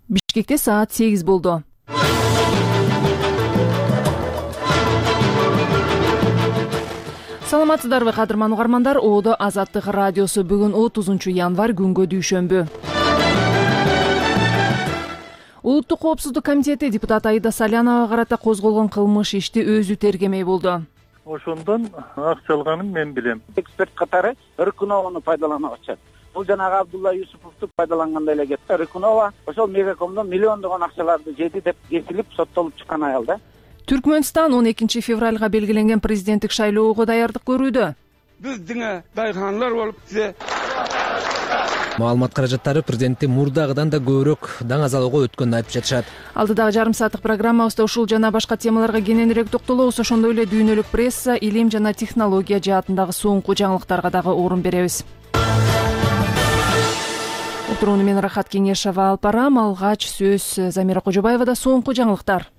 Бишкекте саат 8 болду. Саламатсыздарбы кадырман угармандар, Оодо Азаттык радиосу бүгүн 30-январь күнгө дүйшөмбү. Улуттук коопсуздук комитети депутат Аида Саляновага карата козголгон кылмыш ишти өзү тергемей болду. Ошондон акча алганын мен билем. Эксперт катары Рыкунованы пайдалана баштады. Бул жанагы Абдулла Юсуповду пайдалангандай эле кетти. Рыкунова ошол Мегакомдон миллиондогон акчаларды жеди деп кесилип соттолуп чыккан аял да. Түркмөнстан 12 февралга белгиленген президенттик шайлоого даярдык көрүүдө. Биз деңе дайханлар болуп тизе. Маалымат каражаттары президентти мурдагыдан да көбүрөөк даңазалоого өткөнүн айтып жатышат. Алдыдагы жарым сааттык программабызда ушул жана башка темаларга кененирээк токтолобуз. Ошондой эле дүйнөлүк пресса, илим жана технология жаатындагы соңку жаңылыктарга дагы орун беребиз. Отурууну мен Рахат Кеңешова алып барам. Алгач сөз Замира Кожобаевада. Соңку жаңылыктар.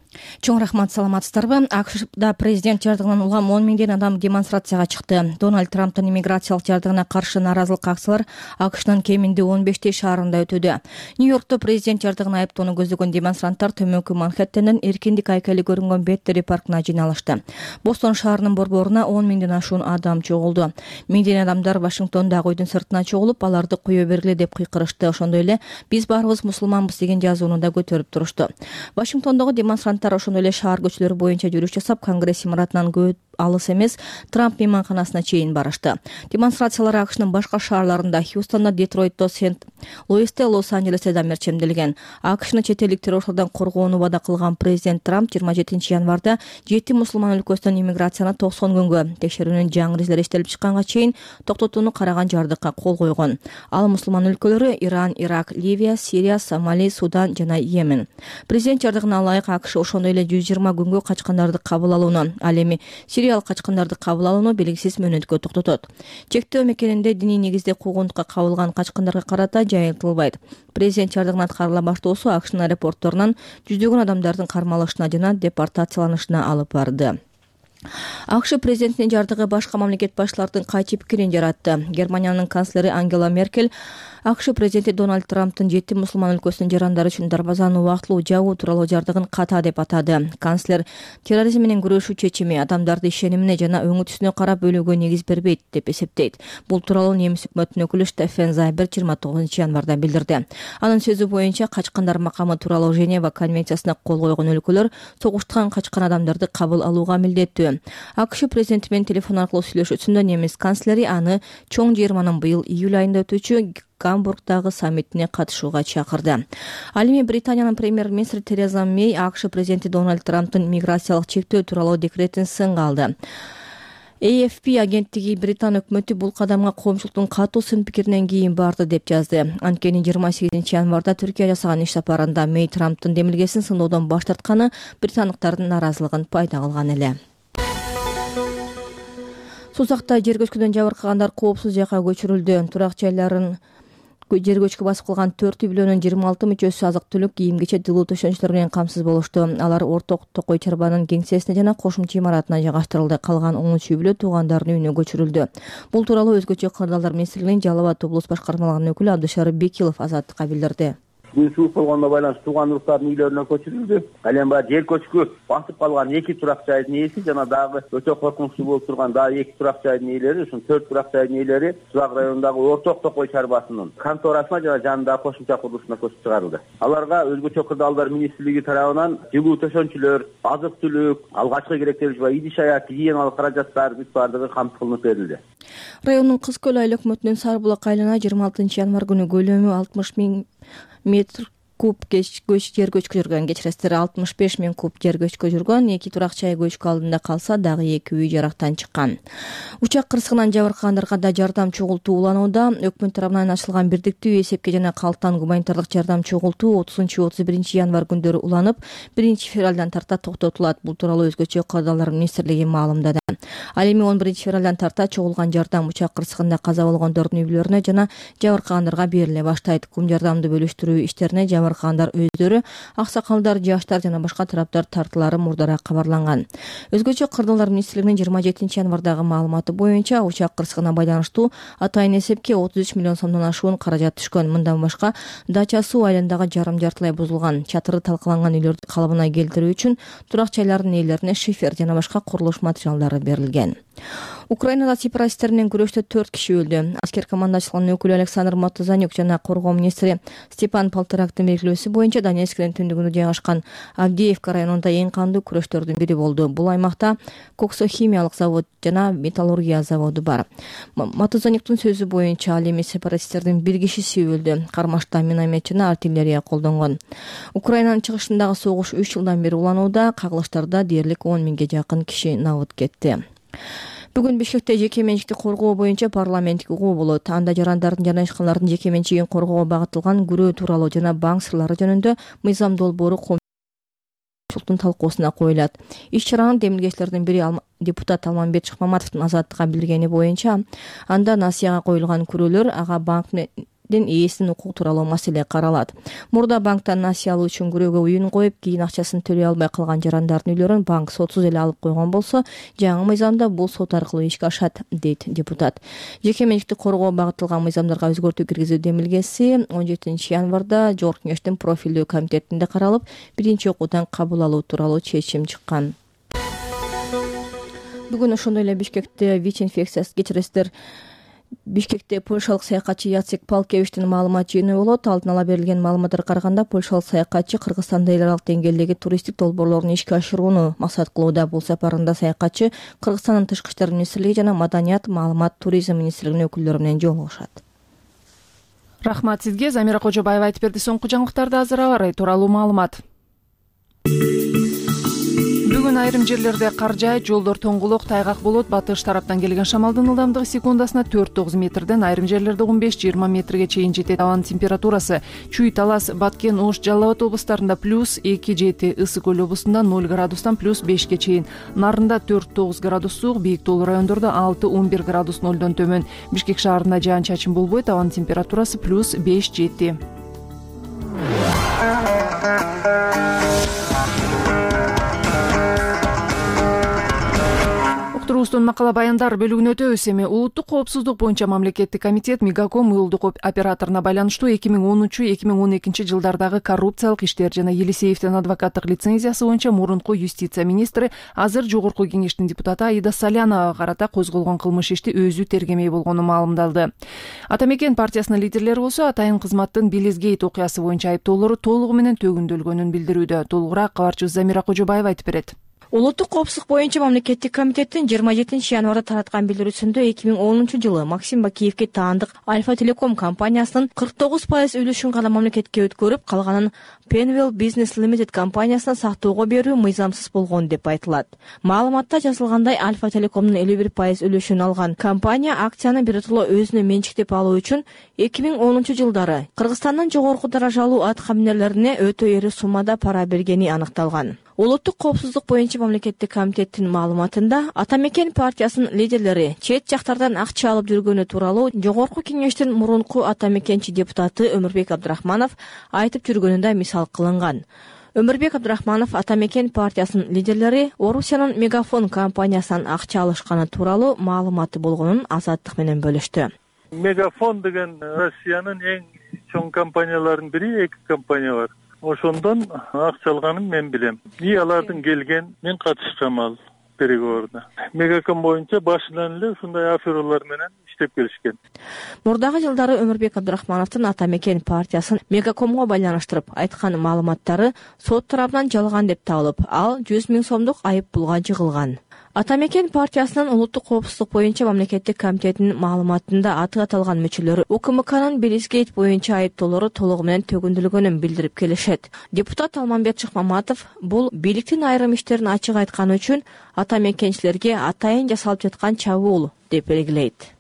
Чоң рахмат, саламатсыздарбы? АКШда президент жардыгынан улам 10 миңден адам демонстрацияга чыкты. Дональд Трамптын иммиграциялык жардыгына каршы нааразылык акциялар АКШнын кеминде 15 шаарында өтүүдө. Нью-Йоркто президент жардыгына айыптоону көздөгөн демонстранттар төмөнкү Манхэттенден эркиндик айкели көрүнгөн Беттери паркына жыйналышты. Бостон шаарынын борборуна 10 миңден ашуун адам чогулду. Миңдеген адамдар Вашингтондагы үйдүн сыртына чогулуп, аларды кое бергиле деп кыйкырышты. Ошондой эле биз баарыбыз мусулманбыз деген жазууну да көтөрүп турушту. Вашингтондогу демонстранттар ошондой эле шаар көчөлөрү боюнча жүрүш жасап, Конгресс имаратынан көп алыс эмес Трамп мейманканасына чейин барышты. Демонстрациялар АКШнын башка шаарларында, Хьюстонда, Детройтто, Сент-Луисте, Лос-Анджелесте да мерчемделген. АКШны чет элдик террорчулардан коргоону убада кылган президент Трамп 27 январда 7 мусулман өлкөсүнөн иммиграцияны 90 күнгө текшерүүнүн жаңы изилери иштелип чыкканга чейин токтотууну караган жардыкка кол койгон. Ал мусулман өлкөлөрү Иран, Ирак, Ливия, Сирия, Сомали, Судан жана Йемен. Президент жардыгына ылайык АКШ ошондой эле 120 күнгө качкандарды кабыл алууну, ал эми Сириялык качкандарды кабыл алууну белгисиз мөөнөткө токтотот. Чектөө мекенинде диний негизде куугунтукка кабылган качкандарга карата жайылтылбайт. Президент жардыгын аткарыла баштоосу АКШнын аэропортторунан жүздөгөн адамдардын кармалышына жана депортацияланышына алып барды. АКШ президентинин жардыгы башка мамлекет башчылардын кайчы пикирин жаратты. Германиянын канцлери Ангела Меркель АКШ президенти Дональд Трамптын 7 мусулман өлкөсүнүн жарандары үчүн дарбазаны убактылуу жабуу тууралуу жардыгын ката деп атады. Канцлер терроризм менен күрөшүү чечими адамдарды ишенимине жана өңү түсүнө карап бөлүүгө негиз бербейт деп эсептейт. Бул тууралуу немис өкмөтүнүн өкүлү Штефен Зайбер 29 январда билдирди. Анын сөзү боюнча качкандар макамы тууралуу Женева конвенциясына кол койгон өлкөлөр согуштан качкан адамдарды кабыл алууга милдеттүү. АКШ президенти менен телефон аркылуу сүйлөшүүсүндө немис канцлери аны чоң жыйырманын быйыл июль айында өтүүчү Гамбургдагы саммитине катышууга чакырды. Ал эми Британиянын премьер-министри Тереза Мэй АКШ президенти Дональд Трамптын миграциялык чектөө тууралуу декретин сынга алды. AFP агенттиги Британ өкмөтү бул кадамга коомчулуктун катуу сын пикиринен кийин барды деп жазды. Анткени 28 январда Түркия жасаган иш сапарында Мэй Трамптын демилгесин сындоодон баш тартканы британдыктардын нааразылыгын пайда кылган эле. Сузакта жер көчкүдөн жабыркагандар коопсуз жакка көчүрүлдү. Турак жайларын жер көчкү басып калган 4 үй бүлөнүн 26 мүчөсү азык-түлүк, кийим-кечек, тылуу төшөнчүлөр менен камсыз болушту. Алар Орток Токой чарбанын кеңсесине жана кошумча имаратына жайгаштырылды. Калган 13 үй бүлө туугандарынын үйүнө көчүрүлдү. Бул тууралуу өзгөчө кырдаалдар министрлигинин Жалал Абад облус башкармалыгынын өкүлү Абдышарып Бекилов Азаттыкка билдирди. Күн суук болгондо байланыштуу туугандуулуктардын үйлөрүнө көчүрүлдү. Ал эми баягы жер көчкү басып калган 2 турак жайдын ээси жана дагы өтө коркунучтуу болуп турган дагы 2 турак жайдын ээлери, ушул 4 турак жайдын ээлери Сузак районундагы Орток Токой чарбасынын конторасына жана жанындагы кошумча курулушуна көчүп чыгарылды. Аларга өзгөчө кырдаалдар министрлиги тарабынан жылуу төшөнчүлөр, азык-түлүк, алгачкы керектелиш ва идиш-аяк гигиеналык каражаттар бүт баардыгы камтып кылынып берилди. Райондун Кыз Көл айыл өкмөтүнүн Сарбулак айылына 26 январ күнү көлөмү 60 000 метр куб жер көчкү жүргөн, кечиресиздер 65 000 куб жер көчкү жүргөн. 2 турак жай көчкү алдында калса, дагы 2 үй жарактан чыккан. Учак кырсыгынан жабыркагандарга да жардам чогултуу уланууда. Өкмөт тарабынан ачылган бирдиктүү эсепке жана калктан гуманитардык жардам чогултуу 30-31 январь күндөрү уланып, 1 февралдан тарта токтотулат. Бул тууралуу өзгөчө кырдаалдар министрлиги маалымдады. Ал эми 11 февралдан тарта чогулган жардам учак кырсыгында каза болгондордун үй бүлөлөрүнө жана жабыркагандарга бериле баштайт. Кум жардамды бөлүштүрүү иштерине жабыркагандар өздөрү, аксакалдар, жаштар жана башка тараптар тартылары мурдараак кабарланган. Өзгөчө Кырдырлар министрлигинин 27 январдагы маалыматы боюнча учак кырсыгына байланыштуу атайын эсепке 33 миллион сомдон ашуун каражат түшкөн. Мындан башка Дача суу айландагы жарым-жартылай бузулган, чатыры талкаланган үйлөрдү калыбына келтирүү үчүн турак жайлардын ээлерине шифер жана башка курулуш материалдары берилген. Украинада сепаратисттер менен күрөштө 4 киши өлдү. Аскер командачылыгынын өкүлү Александр Матузанюк жана коргоо министри Степан Полторактын белгилөөсү боюнча Донецктин түндүгүндө жайгашкан Авдеевка районунда эң кандуу күрөштөрдүн бири болду. Бул аймакта коксохимиялык завод жана металлургия заводу бар. Матузанюктун сөзү боюнча ал эми сепаратисттердин 1 кишиси өлдү. Кармашта миномет жана артиллерия колдонгон. Украинанын чыгышындагы согуш 3 жылдан бери уланууда, кагылыштарда дээрлик 10 миңге жакын киши набыт кетти. Бүгүн Бишкекте жеке менчикти коргоо боюнча парламенттик угуу болот. Анда жарандардын жана ишканалардын жеке менчигин коргоого багытылган күрөө тууралуу жана банк сырлары жөнүндө мыйзам долбоору коомчулуктун талкуусуна коюлат. Иш-чаранын демилгечилеринин бири депутат Алмамбет Шыкмаматовдун Азаттыкка билдиргени боюнча, анда насыяга коюлган күрөөлөр ага банктын ээсинин укугу тууралуу маселе каралат. Мурда банктан насыя алуу үчүн күрөөгө уюн коюп, кийин акчасын төлөй албай калган жарандардын үйлөрүн банк сотсуз эле алып койгон болсо, жаңы мыйзамда бул сот аркылуу ишке ашат, дейт депутат. Жеке менчикти коргоого багытылган мыйзамдарга өзгөртүү киргизүү демилгеси 17 январда Жогорку Кеңештин профилдүү комитетинде каралып, биринчи окуудан кабыл алуу тууралуу чечим чыккан. Бүгүн ошондой эле Бишкекте ВИЧ-инфекциясы кечиресиздер. Бишкекте польшалык саякатчы Яцек Палкевичтин маалымат жыйыны болот. Алдын ала берилген маалыматтарга караганда, польшалык саякатчы Кыргызстанда эл аралык деңгээлдеги туристтик долбоорлорун ишке ашырууну максат кылууда. Бул сапарында саякатчы Кыргызстандын Тышкы иштер министрлиги жана Маданият, маалымат, туризм министрлигинин өкүлдөрү менен жолугушат. Рахмат сизге. Замира Кожобаева айтып берди. Соңку жаңылыктарды азыр аба ырайы тууралуу маалымат. Бүгүн айрым жерлерде кар жаайт, жолдор тоңгулок, тайгак болот. Батыш тараптан келген шамалдын ылдамдыгы секундасына 4-9 метрден, айрым жерлерде 15-20 метрге чейин жетет. Абанын температурасы Чүй, Талас, Баткен, Ош, Жалал Абад облустарында +2 жети, Ысык Көл облусунда 0 градустан +5ке чейин, Нарында 4-9 градус суук, бийик тоолуу райондордо 6-11 градус нолдон төмөн. Бишкек шаарында жаан-чачын болбойт, абанын температурасы +5 жети. Уктуруубуздун макала баяндар бөлүгүнө өтөбүз. Эми улуттук коопсуздук боюнча мамлекеттик комитет Мегаком уюлдук операторуна байланыштуу 2013-2012 жылдардагы коррупциялык иштер жана Елисеевдин адвокаттык лицензиясы боюнча мурунку юстиция министри, азыр Жогорку Кеңештин депутаты Аида Саляновага карата козголгон кылмыш ишти өзү тергемей болгону маалымдалды. Ата Мекен партиясынын лидерлери болсо атайын кызматтын Белизгейт окуясы боюнча айыптоолору толугу менен төгүндөлгөнүн билдирүүдө. Толугураак кабарчыбыз Замира Кожобаева айтып берет. Улуттук коопсуздук боюнча мамлекеттик комитеттин 27 январда тараткан билдирүүсүндө 2010 жылы Максим Бакиевге таандык Альфа Телеком компаниясынын 49% үлүшүн гана мамлекетке өткөрүп, калганын Penwell Business Limited компаниясына сактоого берүү мыйзамсыз болгон деп айтылат. Маалыматта жазылгандай, Альфа Телекомдун 51% үлүшүн алган компания акцияны биротоло өзүнө менчиктеп алуу үчүн 2010 жылдары Кыргызстандын жогорку даражалуу аткаминерлерине өтө эри суммада пара бергени аныкталган. Улуттук коопсуздук боюнча мамлекеттик комитеттин маалыматында Ата Мекен партиясынын лидерлери чет жактардан акча алып жүргөнү тууралуу Жогорку Кеңештин мурунку Ата Мекенчи депутаты Өмүрбек Абдрахманов айтып жүргөнү да мисал кылынган. Өмүрбек Абдрахманов Ата Мекен партиясынын лидерлери Орусиянын Мегафон компаниясынан акча алышканы тууралуу маалыматы болгонун Азаттык менен бөлүштү. Мегафон деген Россиянын эң чоң компанияларынын бири, 2 компания бар. Ошондон акча алганын мен билем. Алардын келген, мен катышкам ал переговоруна. Мегаком боюнча башынан эле ушундай афералар менен иштеп келишкен. Мурдагы жылдары Өмүрбек Абдрахмановдун Ата Мекен партиясын Мегакомго байланыштырып айткан маалыматтары сот тарабынан жалган деп табылып, ал 100 000 сомдук айып пулга жыгылган. Ата Мекен партиясынын улуттук коопсуздук боюнча мамлекеттик комитетинин маалыматында аты аталган мүчөлөрү УКМКнын Белизгейт боюнча айыптоолору толугу менен төгүндөлгөнүн билдирип келишет. Депутат Алмамбет Шыкмаматов бул бийликтин айрым иштерин ачык айтканы үчүн ата мекенчилерге атайын жасалып жаткан чабуул деп белгилейт.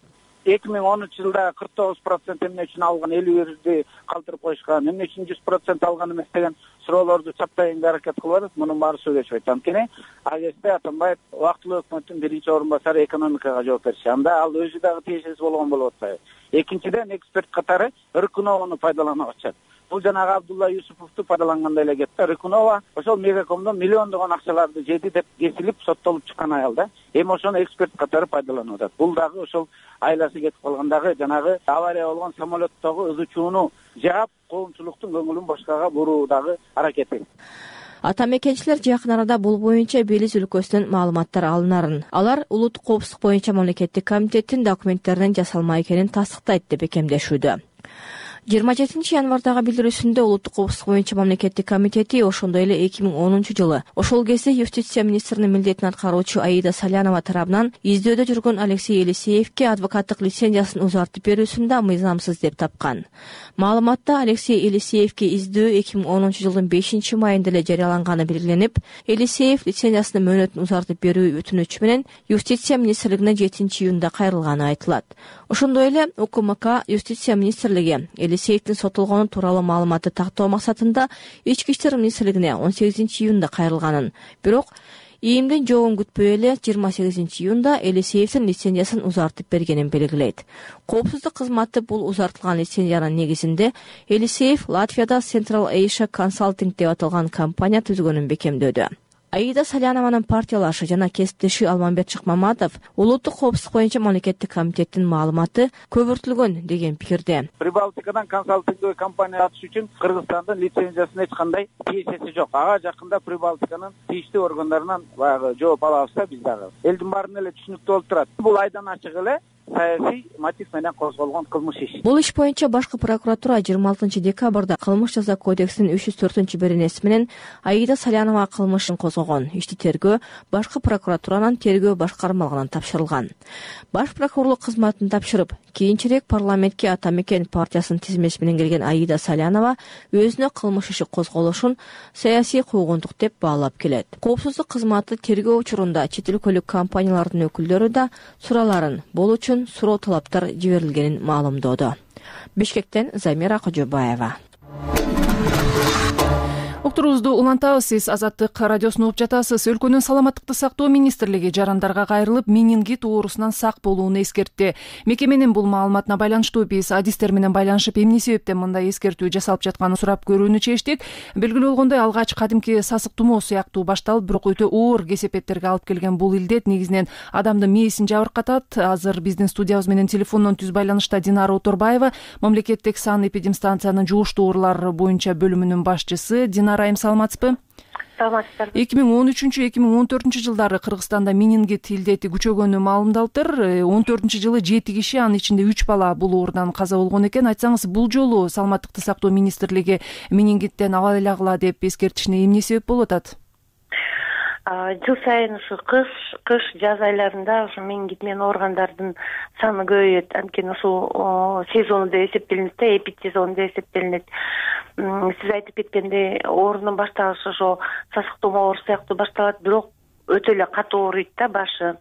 2010 жылда 49% эмне үчүн алган, 51-ди калтырып коюшкан, эмне үчүн 100% алган эмес деген суроолорду чаптайынга аракет кылып атат. Мунун баары сүйлөшпөйт. Анткени Азизбек Атамбаев убактылуу өкмөттүн 1-орун басары экономикага жооп берчү. Анда ал өзү дагы тиешеси болгон болуп атпайбы? Экинчиден, эксперт катары ыркыноогону пайдаланып атышат. Бул жанагы Абдулла Юсуповду пайдалангандай эле кетти. Рыкунова ошол Мегакомдон миллиондогон акчаларды жеди деп кесилип соттолуп чыккан аял да. Эми ошону эксперт катары пайдаланып атат. Бул дагы ошол айласы кетип калгандагы жанагы авария болгон самолеттогу ызычууну жаап, коомчулуктун көңүлүн башкага буруудагы аракети. Ата мекенчилер жакын арада бул боюнча Белиз өлкөсүнөн маалыматтар алынарын, алар улуттук коопсуздук боюнча мамлекеттик комитеттин документтеринин жасалма экенин тастыктайт деп бекемдешүүдө. 27 январдагы билдирүүсүндө улуттук коопсуздук боюнча мамлекеттик комитети ошондой эле 2010 ошол кезде юстиция министринин милдетин аткаруучу Аида Салянова тарабынан издөөдө жүргөн Алексей Елисеевке адвокаттык лицензиясын узартып берүүсүн да мыйзамсыз деп тапкан. Маалыматта Алексей Елисеевке издөө 2010 5 майында эле жарыяланганы белгиленип, Елисеев лицензиясынын мөөнөтүн узартып берүү өтүнүчү менен юстиция министрлигине 7 июнда кайрылганы айтылат. Ошондой эле УКМК юстиция министрлиги Елисеевдин сотолгону тууралуу маалыматты тактоо максатында Ички иштер министрлигине 18 июнда кайрылганын, бирок ИИМдин жообун күтпөй эле 28 июнда Елисеевдин лицензиясын узартып бергенин белгилейт. Коопсуздук кызматы бул узартылган лицензиянын негизинде Елисеев Латвияда Central Asia Consulting деп аталган компания түзгөнүн бекемдөөдө. Аида Салянованын партиялашы жана кесиптеши Алмамбет Шыкмаматов улуттук коопсуздук боюнча мамлекеттик комитеттин маалыматы көбүртүлгөн деген пикирде. Прибалтикадан консалтингдүү компания ачыш үчүн Кыргызстандын лицензиясына эч кандай тиешеси жок. Ага жакында Прибалтиканын тийиштүү органдарынан баягы жооп алабыз да биз дагы. Элдин баарына эле түшүнүктүү болуп турат. Бул айдан ачык эле саясий мотив менен козголгон кылмыш иш. Бул иш боюнча башкы прокуратура 26 декабрда кылмыш жаза кодексинин 304-беренеси менен Аида Салянова кылмышын козгогон. Ишти тергөө башкы прокуратуранын тергөө башкармалыгына тапшырылган. Баш прокурорлук кызматын тапшырып, кийинчерээк парламентке Ата мекен партиясынын тизмеси менен келген Аида Салянова өзүнө кылмыш иши козголушун саясий куугунтук деп баалап келет. Коопсуздук кызматы тергөө учурунда чет өлкөлүк компаниялардын өкүлдөрү да сураларын бул үчүн суроо талаптар жиберилгенин маалымдоодо. Бишкектен Замира Кожобаева. Уктуруубузду улантабыз. Сиз Азаттык радиосун угуп жатасыз. Өлкөнүн саламаттыкты сактоо министрлиги жарандарга кайрылып, менингит оорусунан сак болууну эскертти. Мекеменин бул маалыматына байланыштуу биз адистер менен байланышып, эмне себептен мындай эскертүү жасалып жатканын сурап көрүүнү чечтик. Белгилүү болгондой, алгач кадимки сасык тумоо сыяктуу башталып, бирок өтө оор кесепеттерге алып келген бул илдет негизинен адамдын мээсин жабыркатат. Азыр биздин студиябыз менен телефондон түз байланышта Динара Оторбаева, мамлекеттик санэпидемстанциянын жугуштуу оорулар боюнча бөлүмүнүн башчысы. Динара, саламатсызбы? Саламатсыздар. 2013-2014 жылдары Кыргызстанда менингит илдети күчөгөнү маалымдалыптыр. 14 жылы 7 киши, анын ичинде 3 бала бул оорудан каза болгон экен. Айтсаңыз, бул жолу саламаттыкты сактоо министрлиги менингиттен абайлагыла деп эскертишине эмне себеп болуп атат? Жыл сайын ушу кыш жаз айларында ушу менингит менен ооругандардын саны көбөйөт. Анткени ушул сезону деп эсептелинет да, эпидсезон деп эсептелинет. Сиз айтып кеткендей, оорунун башталышы ошо сасык тумоо оорусу сыяктуу башталат, бирок өтө эле катуу ооруйт да башы.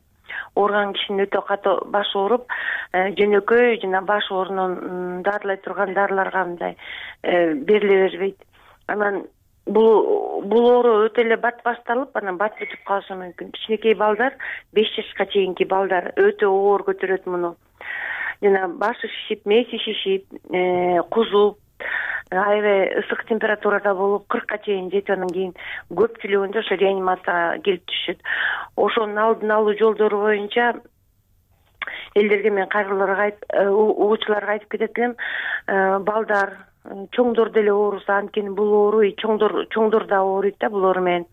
Ооруган кишинин өтө катуу башы ооруп, жөнөкөй жана баш оорунун дарылай турган дарыларга мындай бериле бербейт. Анан бул оору өтө эле бат башталып, анан бат бүтүп калышы мүмкүн. Кичинекей балдар, 5 жашка чейинки балдар өтө оор көтөрөт муну. Жана башы шишип, мээси шишип, кузуп, аябай ысык температурада болуп 40-ка чейин жетип, анан кийин көпчүлүгүндө ошо реанимацияга келип түшөт. Ошонун алдын алуу жолдору боюнча элдерге мен кайрылууга угуучуларга айтып кетет элем. Балдар, чоңдор деле оорусу, анткени бул оору чоңдор да ооруйт да бул оору менен.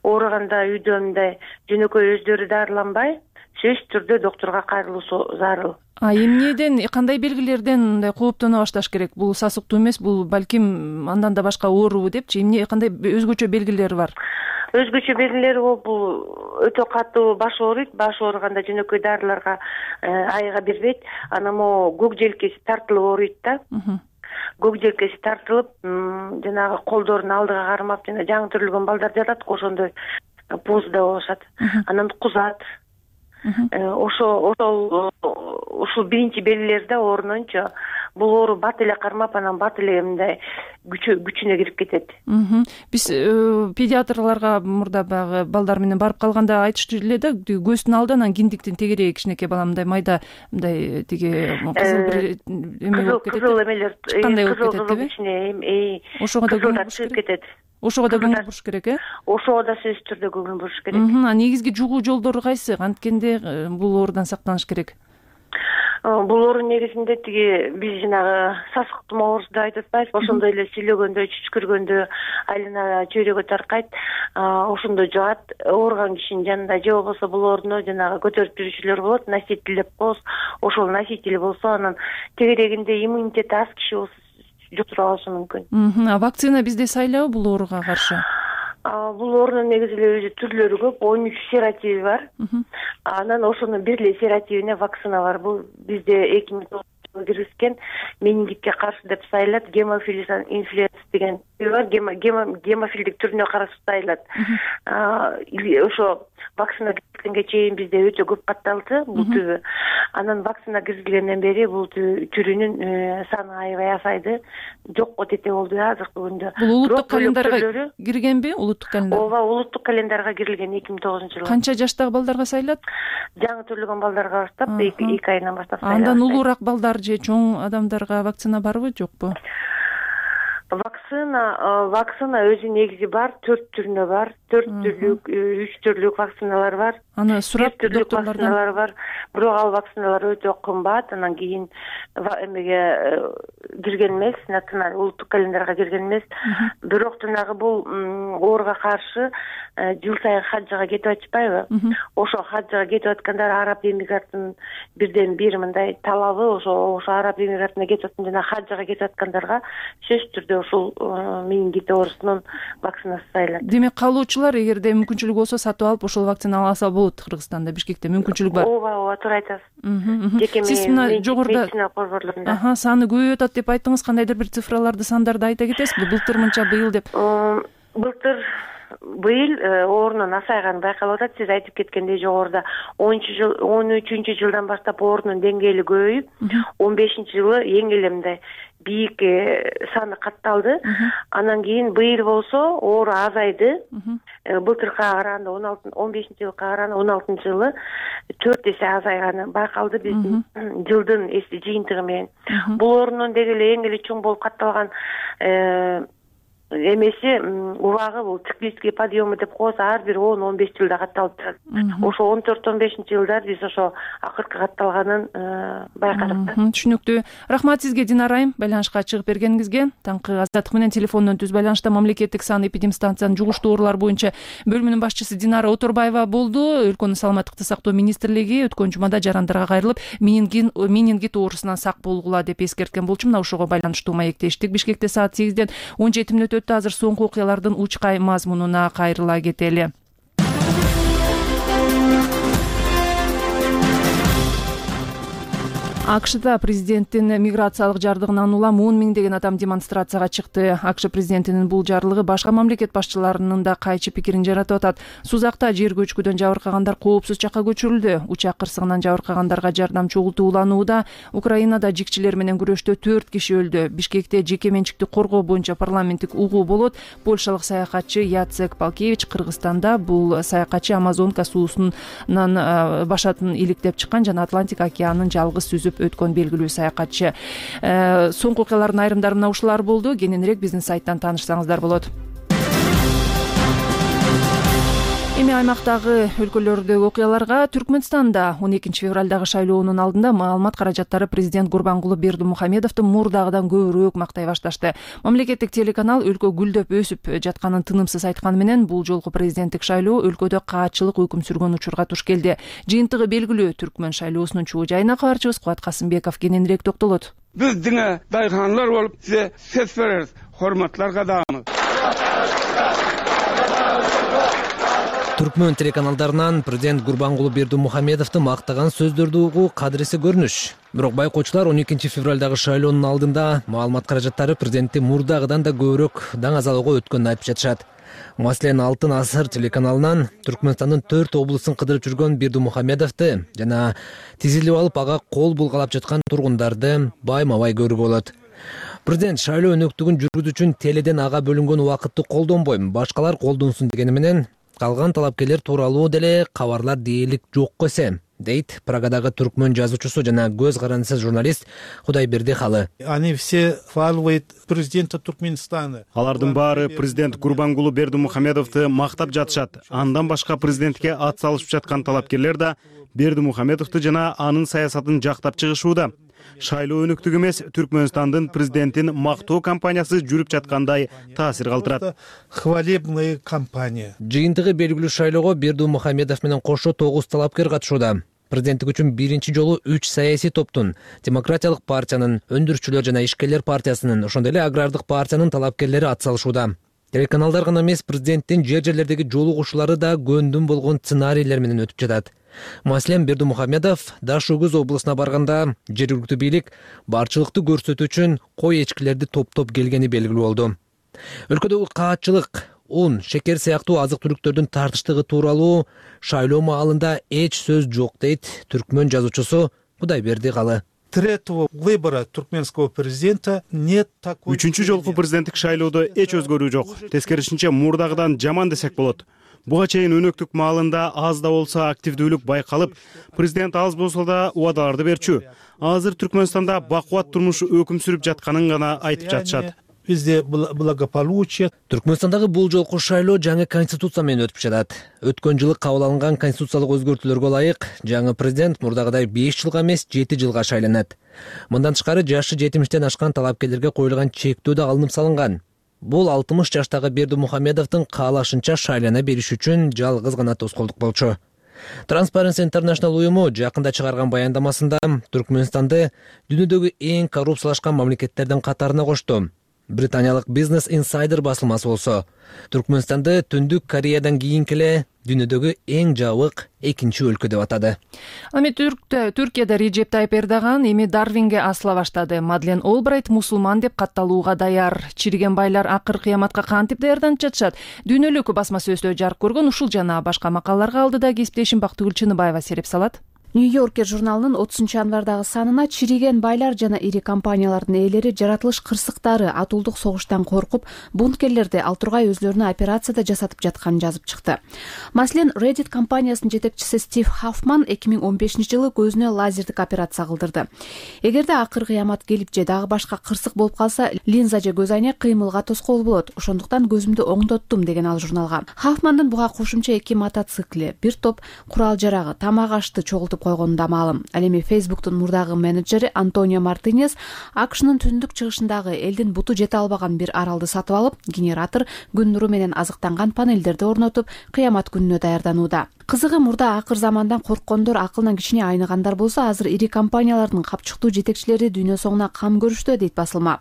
Ооруганда үйдө мындай жөнөкөй өздөрү дарыланбай, сөзсүз түрдө доктурга кайрылуусу зарыл. Эмнеден, кандай белгилерден мындай кооптоно башташ керек? Бул сасыктуу эмес, бул балким андан да башка оору депчи, эмне кандай өзгөчө белгилери бар? Өзгөчө белгилери бул өтө катуу баш ооруйт. Баш ооруганда жөнөкөй дарыларга айга бербейт. Анан могу көк желкеси тартылып ооруйт да. Көк желкеси тартылып, жанагы колдорун алдыга кармап, жана жаңы төрөлгөн балдар жатат, ошондой позада болушат. Анан кузат. Ушул биринчи белгилери да оорунунчу. бул оору бат эле кармап анан бат эле мындай күчүнө кирип кетет. Биз педиатрларга мурда баягы балдар менен барып калганда айтышты эле да, көздүн алды анан киндиктин тегереги кичинекей бала мындай майда мындай тиги кызыл бир эме болуп кетет. Кызыл эмелер чыккандай болуп кетет кызыл кичине ошого да көңүл буруш керек. Ошого да көңүл буруш керек, Ошого да сөзсүз түрдө көңүл буруш керек. Негизги жугуу жолдору кайсы? Анткенде бул оорудан сактаныш керек. Бул оору негизинде тиги биз жанагы сасык тумоо оорусу деп айтып атпайбызбы, ошондой эле сүйлөгөндө, чүчкүргөндө айлана чөйрөгө таркайт, ошондо жугат. Ооруган кишинин жанында же болбосо бул ооруну жанагы көтөрүп жүрүүчүлөр болот, носитель деп коебуз. Ошол носитель болсо анан тегерегинде иммунитети аз киши болсо жуктуруп алышы мүмкүн. Вакцина бизде сайлабы бул ооруга каршы? Бул оорунун негизи эле өзү түрлөрү көп, 13 серотиви бар. Анан ошонун бир эле серотивине вакцина бар. Бул бизде 2009 жылы киргизген менингитке каршы деп сайылат, гемофилис инфлюенс деген бар, гемофилдик түрүнө каршы сайылат. Ошо вакцина киргизгенге чейин бизде өтө көп катталды бул түбү. Анан вакцина киргизилгенден бери бул түрүнүн саны аябай азайды, жокко тете болду азыркы күндө. Бул улуттук календарга киргенби? Улуттук календар? Ооба, улуттук календарга кирилген 2009 жылы. Канча жаштагы балдарга сайылат? Жаңы төрөлгөн балдарга баштап, 2 айынан баштап сайылат. Андан улуураак балдар же чоң адамдарга вакцина барбы, жокпу? Вакцина өзү негизи бар, 4 түрүнө бар. 4 түрлүк, 3 түрлүк вакциналар бар. Аны сурап докторлордон бар. Бирок ал вакциналар өтө кымбат, анан кийин эмеге кирген эмес, националдык улуттук календарга кирген эмес. Бирок жанагы бул ооруга каршы жыл сайын хаджга кетип атышпайбы? Ошо хаджга кетип аткандар араб эмираттын бирден бир мындай талабы, ошо араб эмиратына кетип аткан жана хаджга кетип аткандарга сөзсүз түрдө ушул менингит оорусунун вакцинасы сайылат. Демек калуучулар эгерде мүмкүнчүлүгү болсо сатып алып ошол вакцина алса болот. Кыргызстанда, Бишкекте мүмкүнчүлүк бар. Ооба, туура айтасыз. Сиз мына жогоруда борборлорунда саны көбөйүп атат деп айттыңыз. Кандайдыр бир цифраларды, сандарды айта кетесизби? Былтыр мынча, быйыл деп. Быйыл оорунун азайганы байкалып атат. Сиз айтып кеткендей жогоруда 13 жылдан баштап оорунун деңгээли көбөйүп, 15 жылы эң эле мындай бийик саны катталды. Анан кийин быйыл болсо оору азайды. Былтыркыга караганда 15 жылга караганда 16 жылы 4 эсе азайганы байкалды биздин жылдын жыйынтыгы менен. Бул оорунун деги эле эң эле чоң болуп катталган эмеси убагы бул циклический подъемы деп коебуз, ар бир 10-15 жылда катталып турат. Ошо 14-15 жылдар биз ошо акыркы катталганын байкадык. Түшүнүктүү. Рахмат сизге, Динара айым, байланышка чыгып бергениңизге. Таңкы азаттык менен телефондон түз байланышта мамлекеттик санэпидемстанциянын жугуштуу оорулар боюнча бөлүмүнүн башчысы Динара Оторбаева болду. Өлкөнүн саламаттыкты сактоо министрлиги өткөн жумада жарандарга кайрылып, менингит оорусунан сак болгула деп эскерткен болчу. Мына ошого байланыштуу маектештик. Бишкекте саат 8-ден 17 мүнөт өттү. Азыр соңку окуялардын учкай мазмунуна кайрыла кетели. АКШда президенттин миграциялык жардыгынан улам 10 миңдеген адам демонстрацияга чыкты. АКШ президентинин бул жарлыгы башка мамлекет башчыларынын да кайчы пикирин жаратып атат. Сузакта жер көчкүдөн жабыркагандар коопсуз жакка көчүрүлдү. Учак кырсыгынан жабыркагандарга жардам чогултуу уланууда. Украинада жикчилер менен күрөштө 4 киши өлдү. Бишкекте жеке менчикти коргоо боюнча парламенттик угуу болот. Польшалык саякатчы Яцек Палкевич Кыргызстанда бул саякатчы Амазонка суусунан башатын иликтеп чыккан жана Атлантик океанын жалгыз сүзүп өткөн белгилүү саякатчы. Соңку окуялардын айрымдары мына ушулар болду. Кененирээк биздин сайттан таанышсаңыздар болот. Эми аймактагы өлкөлөрдөгү окуяларга. Түркмөнстанда 12 февралдагы шайлоонун алдында маалымат каражаттары президент Гурбангулы Бердимухамедовду мурдагыдан көбүрөөк мактай башташты. Мамлекеттик телеканал өлкө гүлдөп өсүп жатканын тынымсыз айтканы менен бул жолку президенттик шайлоо өлкөдө каатчылык өкүм сүргөн учурга туш келди. Жыйынтыгы белгилүү. Түркмөн шайлоосунун чуу жайына кабарчыбыз Кубат Касымбеков кененирээк токтолот. Биздин дайханлар болуп сизе сөз беребиз. Hormatlar кадамы. Түркмөн телеканалдарынан президент Гурбангулы Бердимухамедовду мактаган сөздөрдү угуу кадыреси көрүнүш. Бирок байкоочулар 12 февралдагы шайлоонун алдында маалымат каражаттары президентти мурдагыдан да көбүрөөк даң азалоого өткөнүн айтып жатышат. Маселен, Алтын асыр телеканалынан Түркмөнстандын 4 облусун кыдырып жүргөн Бердимухамедовду жана тизилип алып ага кол булгалап жаткан тургундарды байма-бай көрүүгө болот. Президент шайлоо өнөктүгүн жүргүзүү үчүн теледен ага бөлүнгөн убакытты колдонбойм, башкалар колдонсун дегени менен калган талапкерлер тууралуу деле кабарлар дээрлик жок эсе, дейт Прагадагы түркмөн жазуучусу жана көз карандысыз журналист Кудайберди Халы. Они все хваливают президента Туркменистана. Алардын баары президент Гурбангулу Бердимухамедовду мактап жатышат. Андан башка президентке ат салышып жаткан талапкерлер да Бердимухамедовду жана анын саясатын жактап чыгышууда. Шайлоо өнөктүгү эмес, Түркмөнстандын президентин мактоо кампаниясы жүрүп жаткандай таасир калтырат. Хвалебная кампания. Жыйынтыгы белгилүү шайлоого Бердимухамедов менен кошо 9 талапкер катышууда. Президенттик үчүн биринчи жолу 3 саясий топтун, Демократиялык партиянын, Өндүрүшчүлөр жана Ишкерлер партиясынын, ошондой эле Агрардык партиянын талапкерлери ат салышууда. Телеканалдар гана эмес, президенттин жер-жерлердеги жолугушуулары да көндүм болгон сценарийлер менен өтүп жатат. Маселен, Бердимухамедов Дашугуз облусуна барганда жергиликтүү бийлик барчылыкты көрсөтүү үчүн кой эчкилерди топтоп келгени белгилүү болду. Өлкөдөгү каатчылык, ун, шекер сыяктуу азык-түлүктөрдүн тартыштыгы тууралуу шайлоо маалында эч сөз жок, дейт түркмөн жазуучусу Кудайберди Халы. Третьего выбора туркменского президента нет такой. Үчүнчү жолку президенттик шайлоодо эч өзгөрүү жок. Тескерисинче, мурдагыдан жаман десек болот. Буга чейин өнөктүк маалында аз да болсо активдүүлүк байкалып, президент аз болсо да убадаларды берчү. Азыр Түркмөнстанда бакубат турмуш өкүм сүрүп жатканын гана айтып жатышат. Везде благополучие. Түркмөнстандагы бул жолку шайлоо жаңы конституция менен өтүп жатат. Өткөн жылы кабыл алынган конституциялык өзгөртүүлөргө ылайык жаңы президент мурдагыдай 5 жылга эмес 7 жылга шайланат. Мындан тышкары жашы 70-тен ашкан талапкерлерге коюлган чектөө да алынып салынган. Бул 60 жаштагы Бердимухамедовдун каалашынча шайлана бериш үчүн жалгыз гана тоскоолдук болчу. Transparency International уюму жакында чыгарган баяндамасында Түркмөнстанды дүйнөдөгү эң коррупциялашкан мамлекеттердин катарына кошту. Британиялык Business Insider басылмасы болсо, Түркмөнстанды Түндүк Кореядан кийинки эле дүйнөдөгү эң жабык экинчи өлкө деп атады. Эми Түркияда Режеп Тайып Эрдоган эми Дарвинге асыла баштады. Мадлен Олбрайт мусулман деп катталууга даяр. Чириген байлар акыр кыяматка кантип даярданып жатышат? Дүйнөлүк басма сөздө жарык көргөн ушул жана башка макалаларга алдыда кесиптешим Бактыгүл Чыныбаева сереп салат. Нью-Йоркер журналынын 30-январдагы санына чириген байлар жана ири компаниялардын ээлери жаратылыш кырсыктары, атуулдук согуштан коркуп, бункерлерди ал тургай өзлөрүнө операцияда жасатып жатканын жазып чыкты. Маселен, Reddit компаниясынын жетекчиси Стив Хаффман 2015-жылы көзүнө лазердик операция кылдырды. Эгерде акыр кыямат келип же дагы башка кырсык болуп калса, линза же көз айнек кыймылга тоскоол болот. Ошондуктан көзүмдү оңдоттум, деген ал журналга. Хаффмандын буга кошумча 2 мотоцикли, бир топ курал жарагы, тамак ашты чогултуп койгону да маалым. Ал эми Facebook'тун мурдагы менеджери Антонио Мартинес АКШнын түндүк чыгышындагы элдин буту жете албаган бир аралды сатып алып, генератор, күн нуру менен азыктанган панелдерди орнотуп, кыямат күнүнө даярданууда. Кызыгы, мурда акыр замандан корккондор акылынан кичине айныгандар болсо, азыр ири компаниялардын капчыктуу жетекчилери дүйнө соңуна кам көрүштү, дейт басылма.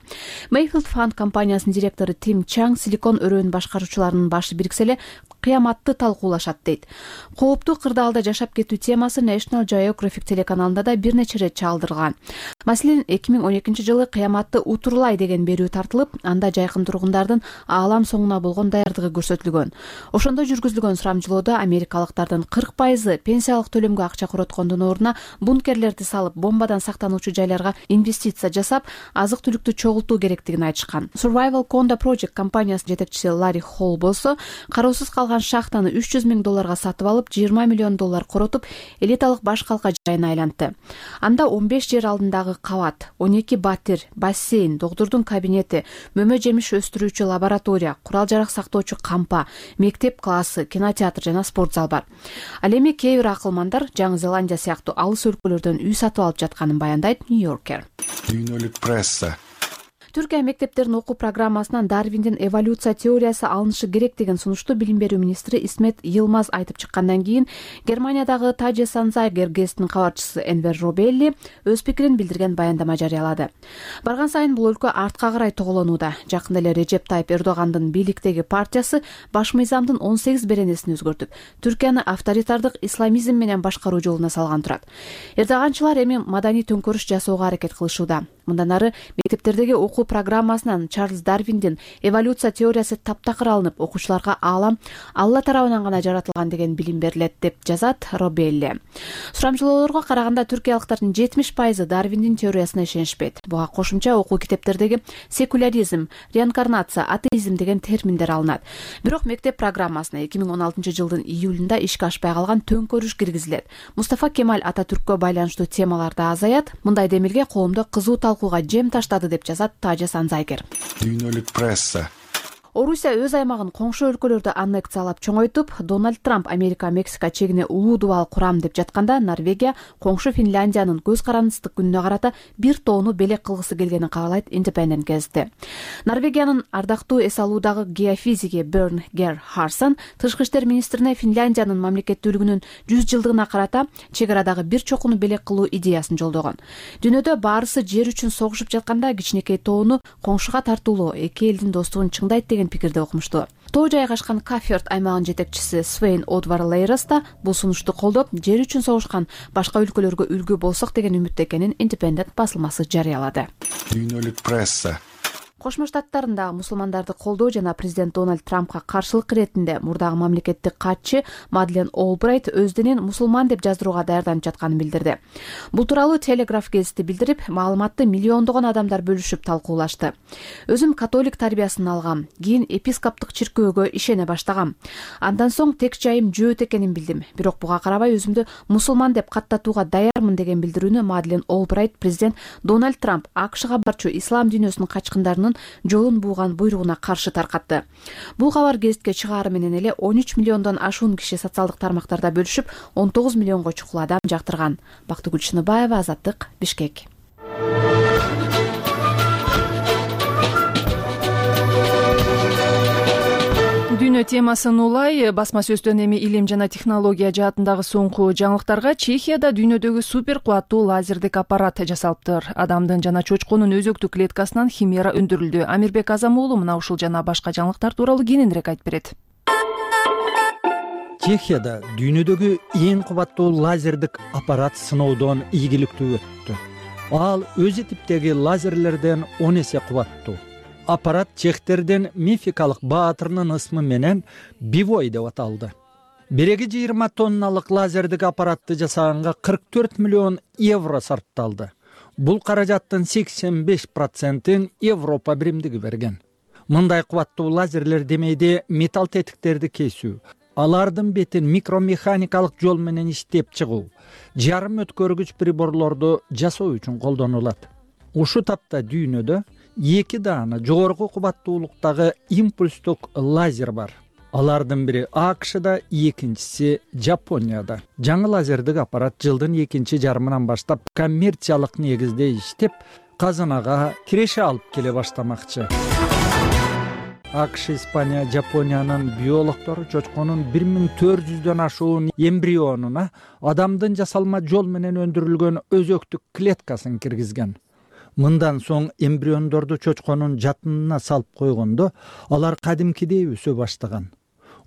Mayfield Fund компаниясынын директору Тим Чанг Силикон өрөөнүн башкаруучуларынын башы бириксе эле кыяматты талкуулашат, дейт. Кооптуу кырдаалда жашап кетүү темасы National Geographic телеканалында да бир нече ирет чалдырылган. Маселен, 2012-жылы кыяматты утурлай деген берүү тартылып, анда жайкын тургундардын аалам соңуна болгон даярдыгы көрсөтүлгөн. Ошондо жүргүзүлгөн сурамжылоодо америкалыктардын 40% пенсиялык төлөмгө акча короткондун ордуна бункерлерди салып, бомбадан сактануучу жайларга инвестиция жасап, азык-түлүктү чогултуу керектигин айтышкан. Survival Conda Project компаниясынын жетекчиси Ларри Холл болсо, кароосуз калган шахтаны $300 миң сатып алып, $20 миллион коротуп, элиталык баш калка жайына айлантты. Анда 15 жер алдындагы кабат, 12 батир, бассейн, доктурдун кабинети, мөмө жемиш өстүрүүчү лаборатория, курал жарак сактоочу кампа, мектеп классы, кинотеатр жана спорт зал бар. Ал эми кээ бир акылмандар Жаңы Зеландия сыяктуу алыс өлкөлөрдөн үй сатып алып жатканын баяндайт Нью-Йоркер. Дүйнөлүк пресса. Түркия мектептеринин окуу программасынан Дарвиндин эволюция теориясы алынышы керек деген сунушту билим берүү министри Исмет Йылмаз айтып чыккандан кийин, Германиядагы Таже Санзайгер гезитинин кабарчысы Энвер Робелли өз пикирин билдирген баяндама жарыялады. Барган сайын бул өлкө артка карай тоголонууда. Жакында эле Режеп Тайып Эрдогандын бийликтеги партиясы баш мыйзамдын 18 беренесин өзгөртүп, Түркияны авторитардык исламизм менен башкаруу жолуна салган турат. Эрдоганчылар эми маданий төңкөрүш жасоого аракет кылышууда. Мындан ары мектептердеги окуу программасынан Чарльз Дарвиндин эволюция теориясы таптакыр алынып, окуучуларга аалам Алла тарабынан гана жаратылган деген билим берилет деп жазат Робелли. Сурамжылоолорго караганда түркиялыктардын 70% Дарвиндин теориясына ишенишпейт. Буга кошумча окуу китептердеги секуляризм, реинкарнация, атеизм деген терминдер алынат. Бирок мектеп программасына 2016-жылдын июлунда ишке ашпай калган төңкөрүш киргизилет. Мустафа Кемаль Ататүрккө байланыштуу темалар да азаят. Мындай демилге коомдо кызуу талкууга жем таштады деп жазат Тажа Санзайгер. Дүйнөлүк пресса. Орусия өз аймагын коңшу өлкөлөрдө аннексиялап чоңойтуп, Дональд Трамп Америка-Мексика чегине улуу дубал курам деп жатканда, Норвегия коңшу Финляндиянын көз карандысыздык күнүнө карата бир тоону белек кылгысы келгенин каалайт Independent газети. Норвегиянын ардактуу эс алуудагы геофизиги Берн Гер Харсон тышкы иштер министрине Финляндиянын мамлекеттүүлүгүнүн 100 жылдыгына карата чек арадагы бир чокуну белек кылуу идеясын жолдогон. Дүйнөдө баарысы жер үчүн согушуп жатканда кичинекей тоону коңшуга тартуулоо эки элдин достугун чыңдайт деген пикирде окумушту. Тоо жайгашкан Кафьорд аймагынын жетекчиси Свейн Одвар Лейрос да бул сунушту колдоп, жер үчүн согушкан башка өлкөлөргө үлгү болсок деген үмүттө экенин Independent басылмасы жарыялады. Дүйнөлүк пресса. Кошмо Штаттарындагы мусулмандарды колдоо жана президент Дональд Трампка каршылык иретинде мурдагы мамлекеттик катчы Мадлен Олбрайт өздүнүн мусулман деп жаздырууга даярданып жатканын билдирди. Бул тууралуу Телеграф гезити билдирип, маалыматты миллиондогон адамдар бөлүшүп талкуулашты. Өзүм католик тарбиясын алгам, кийин епископтук чиркөөгө ишене баштагам. Андан соң тек жайым жөөт экенин билдим. Бирок буга карабай өзүмдү мусулман деп каттатууга даярмын деген билдирүүнү Мадлен Олбрайт президент Дональд Трамп АКШга барчу ислам дүйнөсүнүн качкындарынын жолун бууган буйругуна каршы таркатты. Бул кабар гезитке чыгаары менен эле 13 миллиондон ашуун киши социалдык тармактарда бөлүшүп, 19 миллионго чукул адам жактырган. Бактыгүл Шыныбаева, Азаттык, Бишкек. Дүйнө темасын улай, басма сөздөн эми илим жана технология жаатындагы соңку жаңылыктарга Чехияда дүйнөдөгү супер кубаттуу лазердик аппарат жасалыптыр. Адамдын жана чочконун өзөктүк клеткасынан химера өндүрүлдү. Амирбек Азам уулу мына ушул жана башка жаңылыктар тууралуу кененирээк айтып берет. Чехияда дүйнөдөгү эң кубаттуу лазердик аппарат сыноодон ийгиликтүү өттү. Ал өзү типтеги лазерлерден 10 эсе кубаттуу. Аппарат чехтердин мификалык баатырынын ысмы менен Бивой деп аталды. Биреги 20 тонналык лазердик аппаратты жасаганга 44 миллион евро сарпталды. Бул каражаттын 85%-ин Европа биримдиги берген. Мындай кубаттуу лазерлер демейде металл тетиктерди кесүү, алардын бетин микромеханикалык жол менен иштеп чыгуу, жарым өткөргүч приборлорду жасоо үчүн колдонулат. Ушу тапта дүйнөдө 2 даана жогорку кубаттуулуктагы импульстук лазер бар. Алардын бири АКШда, экинчиси Жапонияда. Жаңы лазердик аппарат жылдын 2-жарымынан баштап коммерциялык негизде иштеп, казынага киреше алып келе баштамакчы. АКШ, Испания, Жапониянын биологтору чочконун 1400дөн ашуун эмбрионуна адамдын жасалма жол менен өндүрүлгөн өзөктүк клеткасын киргизген. Мындан соң эмбриондорду чочконун жатынына салып койгондо, алар кадимкидей өсө баштаган.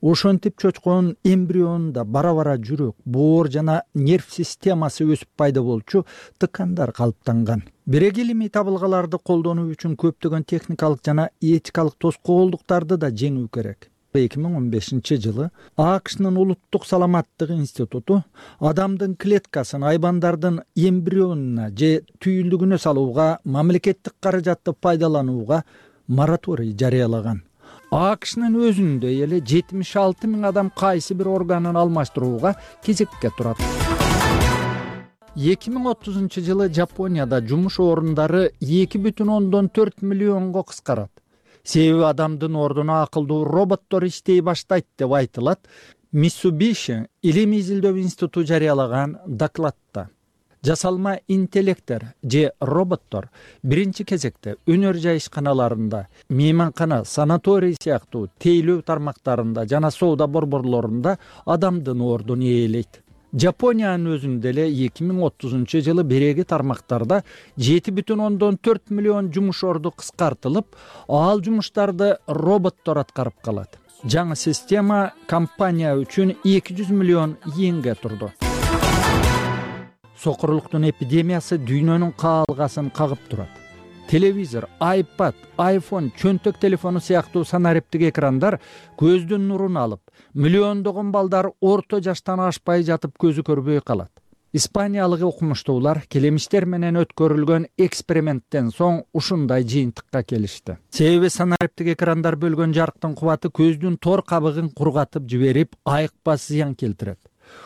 Ошентип чочконун эмбрионунда бара-бара жүрөк, боор жана нерв системасы өсүп пайда болчу тыкандар калыптанган. Бирек илимий табылгаларды колдонуу үчүн көптөгөн техникалык жана этикалык тоскоолдуктарды да жеңүү керек. 2015-жылы АКШнын улуттук саламаттык институту адамдын клеткасын айбандардын эмбрионуна же түйүлдүгүнө салууга, мамлекеттик каражатты пайдаланууга мораторий жарыялаган. АКШнын өзүндө эле 76 000 адам кайсы бир органын алмаштырууга кезекке турат. 2030-жылы Жапонияда жумуш орундары 2,4 миллионго кыскарат. Себеби адамдын ордуна акылдуу роботтор иштей баштайт деп айтылат Mitsubishi илимий изилдөө институту жарыялаган докладта. Жасалма интеллекттер же роботтор биринчи кезекте өнөр жайышканаларында, мейманкана, санаторий сыяктуу тейлөө тармактарында жана соода борборлорунда адамдын ордун ээлейт. Жапониянын өзүндө эле 2030-жылы биреги тармактарда 7,4 миллион жумуш орду кыскартылып, ал жумуштарды роботтор аткарып калат. Жаңы система компания үчүн 200 миллион йенге турду. Сокурлуктун эпидемиясы дүйнөнүн каалгасын кагып турат. телевизор, iPad, iPhone, чөнтөк телефону сыяктуу санариптик экрандар көздүн нурун алып, миллиондогон балдар орто жаштан ашпай жатып көзү көрбөй калат. Испаниялык окумуштуулар келемиштер менен өткөрүлгөн эксперименттен соң ушундай жыйынтыкка келишти. Себеби санариптик экрандар бөлгөн жарыктын кубаты көздүн тор кабыгын кургатып жиберип, айыкпас зыян келтирет.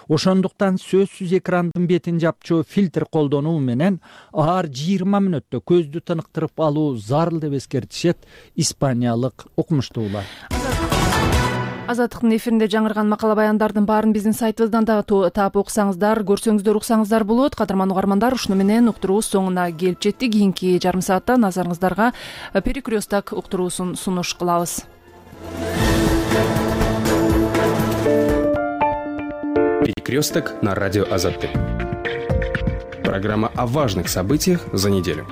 Ошондуктан сөзсүз экрандын бетин жапчу фильтр колдонуу менен ар 20 мүнөттө көздү тыныктырып алуу зарыл деп эскертишет испаниялык окумуштуулар. Азаттыктын эфиринде жаңырган макала баяндардын баарын биздин сайтыбыздан дагы таап окусаңыздар, көрсөңүздөр, уксаңыздар болот. Кадырман угармандар, ушуну менен уктуруубуз соңуна келип жеттик. Кийинки жарым саатта назарыңыздарга перекресток уктуруусун сунуш кылабыз. Перекресток на радио Азаттык. Программа о важных событиях за неделю.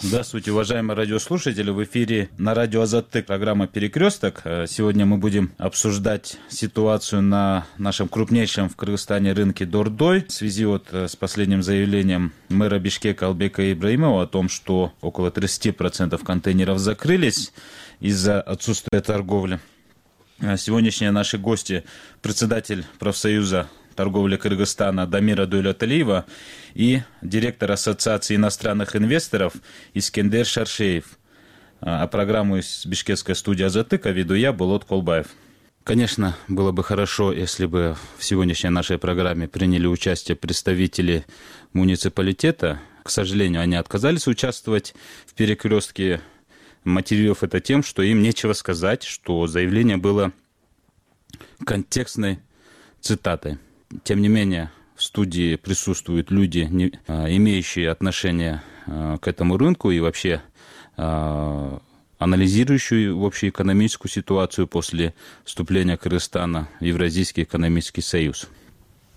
Здравствуйте, уважаемые радиослушатели. В эфире на радио Азаттык программа «Перекресток». Сегодня мы будем обсуждать ситуацию на нашем крупнейшем в Кыргызстане рынке Дордой в связи с последним заявлением мэра Бишкека Албека Ибраимова о том, что около 30% контейнеров закрылись из-за отсутствия торговли. Сегодняшние наши гости – председатель профсоюза торговли Кыргызстана Дамира Дуйлаталиева и директор Ассоциации иностранных инвесторов Искендер Шаршеев. А программу из бишкекской студии Азаттыка веду я, Болот Колбаев. Конечно, было бы хорошо, если бы в сегодняшней нашей программе приняли участие представители муниципалитета. К сожалению, они отказались участвовать в перекрестке. Мотивировав это тем, что им нечего сказать, что заявление было контекстной цитатой. Тем не менее, в студии присутствуют люди, имеющие отношение к этому рынку и вообще анализирующие общеэкономическую ситуацию после вступления Кыргызстана в Евразийский экономический союз.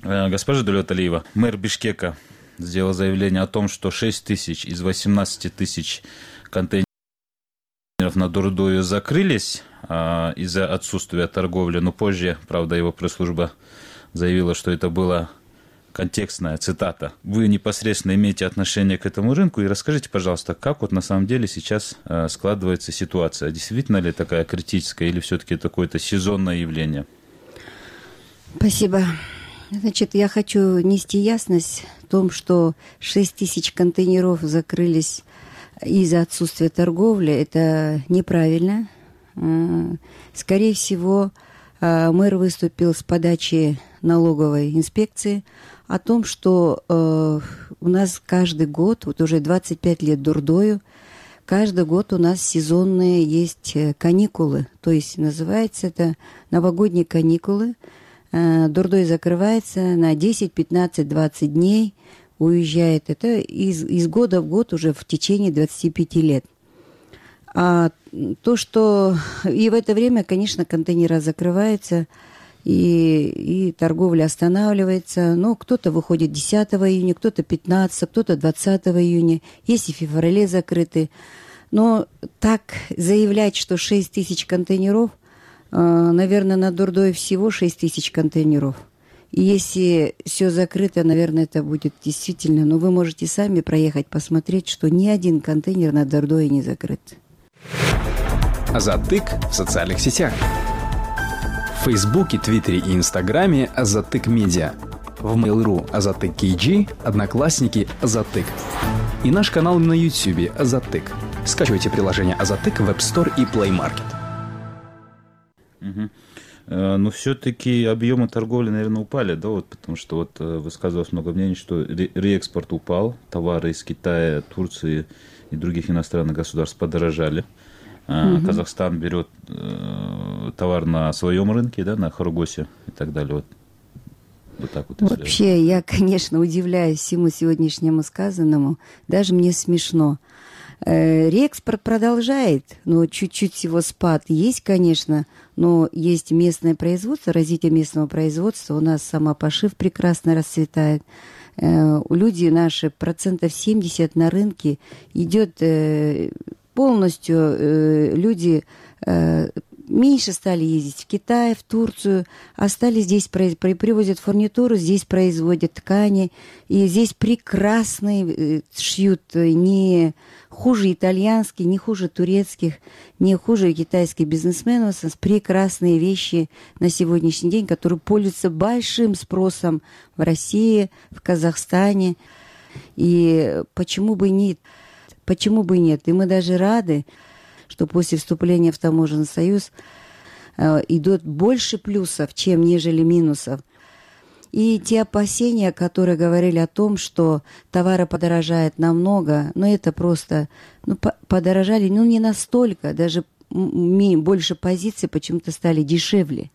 Госпожа Дуйлаталиева, мэр Бишкека сделал заявление о том, что 6 тысяч из 18 тысяч контейнеров на Дордою закрылись из-за отсутствия торговли, но позже, правда, его пресс-служба заявила, что это была контекстная цитата. Вы непосредственно имеете отношение к этому рынку, и расскажите, пожалуйста, как вот на самом деле сейчас складывается ситуация? Действительно ли такая критическая, или все-таки это какое-то сезонное явление? Спасибо. Значит, я хочу нести ясность в том, что 6 тысяч контейнеров закрылись из-за отсутствия торговли. Это неправильно. Скорее всего, мэр выступил с подачи налоговой инспекции о том, что у нас каждый год, вот уже 25 лет Дордою, каждый год у нас сезонные есть каникулы. То есть называется это новогодние каникулы. Дордой закрывается на 10, 15, 20 дней, уезжает. Это из года в год уже в течение 25 лет. А то, что и в это время, конечно, контейнеры закрываются, и торговля останавливается. Но кто-то выходит 10 июня, кто-то 15, кто-то 20 июня. Есть и в феврале закрыты. Но так заявлять, что 6 тысяч контейнеров, наверное, на Дордое всего 6 тысяч контейнеров. И если все закрыто, наверное, это будет действительно... Но вы можете сами проехать, посмотреть, что ни один контейнер на Дордое не закрыт. Азаттык в социальных сетях. В Фейсбуке, Твиттере и Инстаграме Азаттык Медиа. В Mail.ru Азаттык KG, Одноклассники Азаттык. И наш канал на Ютубе Азаттык. Скачивайте приложение Азаттык в App Store и Play Market. Но все-таки объемы торговли, наверное, упали, да, вот, потому что вот высказывалось много мнений, что реэкспорт упал, товары из Китая, Турции и других иностранных государств подорожали. Казахстан берет товар на своем рынке, да, на Хоргосе и так далее. Вот так вот. Вообще, я, конечно, удивляюсь всему сегодняшнему сказанному. Даже мне смешно. Реэкспорт продолжает, но чуть-чуть всего спад есть, конечно, но есть местное производство, развитие местного производства. У нас самопошив прекрасно расцветает. Люди наши 70% на рынке идет полностью, люди меньше стали ездить в Китай, в Турцию, а стали здесь привозят фурнитуру, здесь производят ткани, и здесь прекрасные шьют, не хуже итальянских, не хуже турецких, не хуже китайских бизнесменов, прекрасные вещи на сегодняшний день, которые пользуются большим спросом в России, в Казахстане. И почему бы нет? Почему бы нет? И мы даже рады, что после вступления в Таможенный союз идут больше плюсов, чем нежели минусов. И те опасения, которые говорили о том, что товары подорожают намного, это просто, подорожали, не настолько, даже больше позиций почему-то стали дешевле.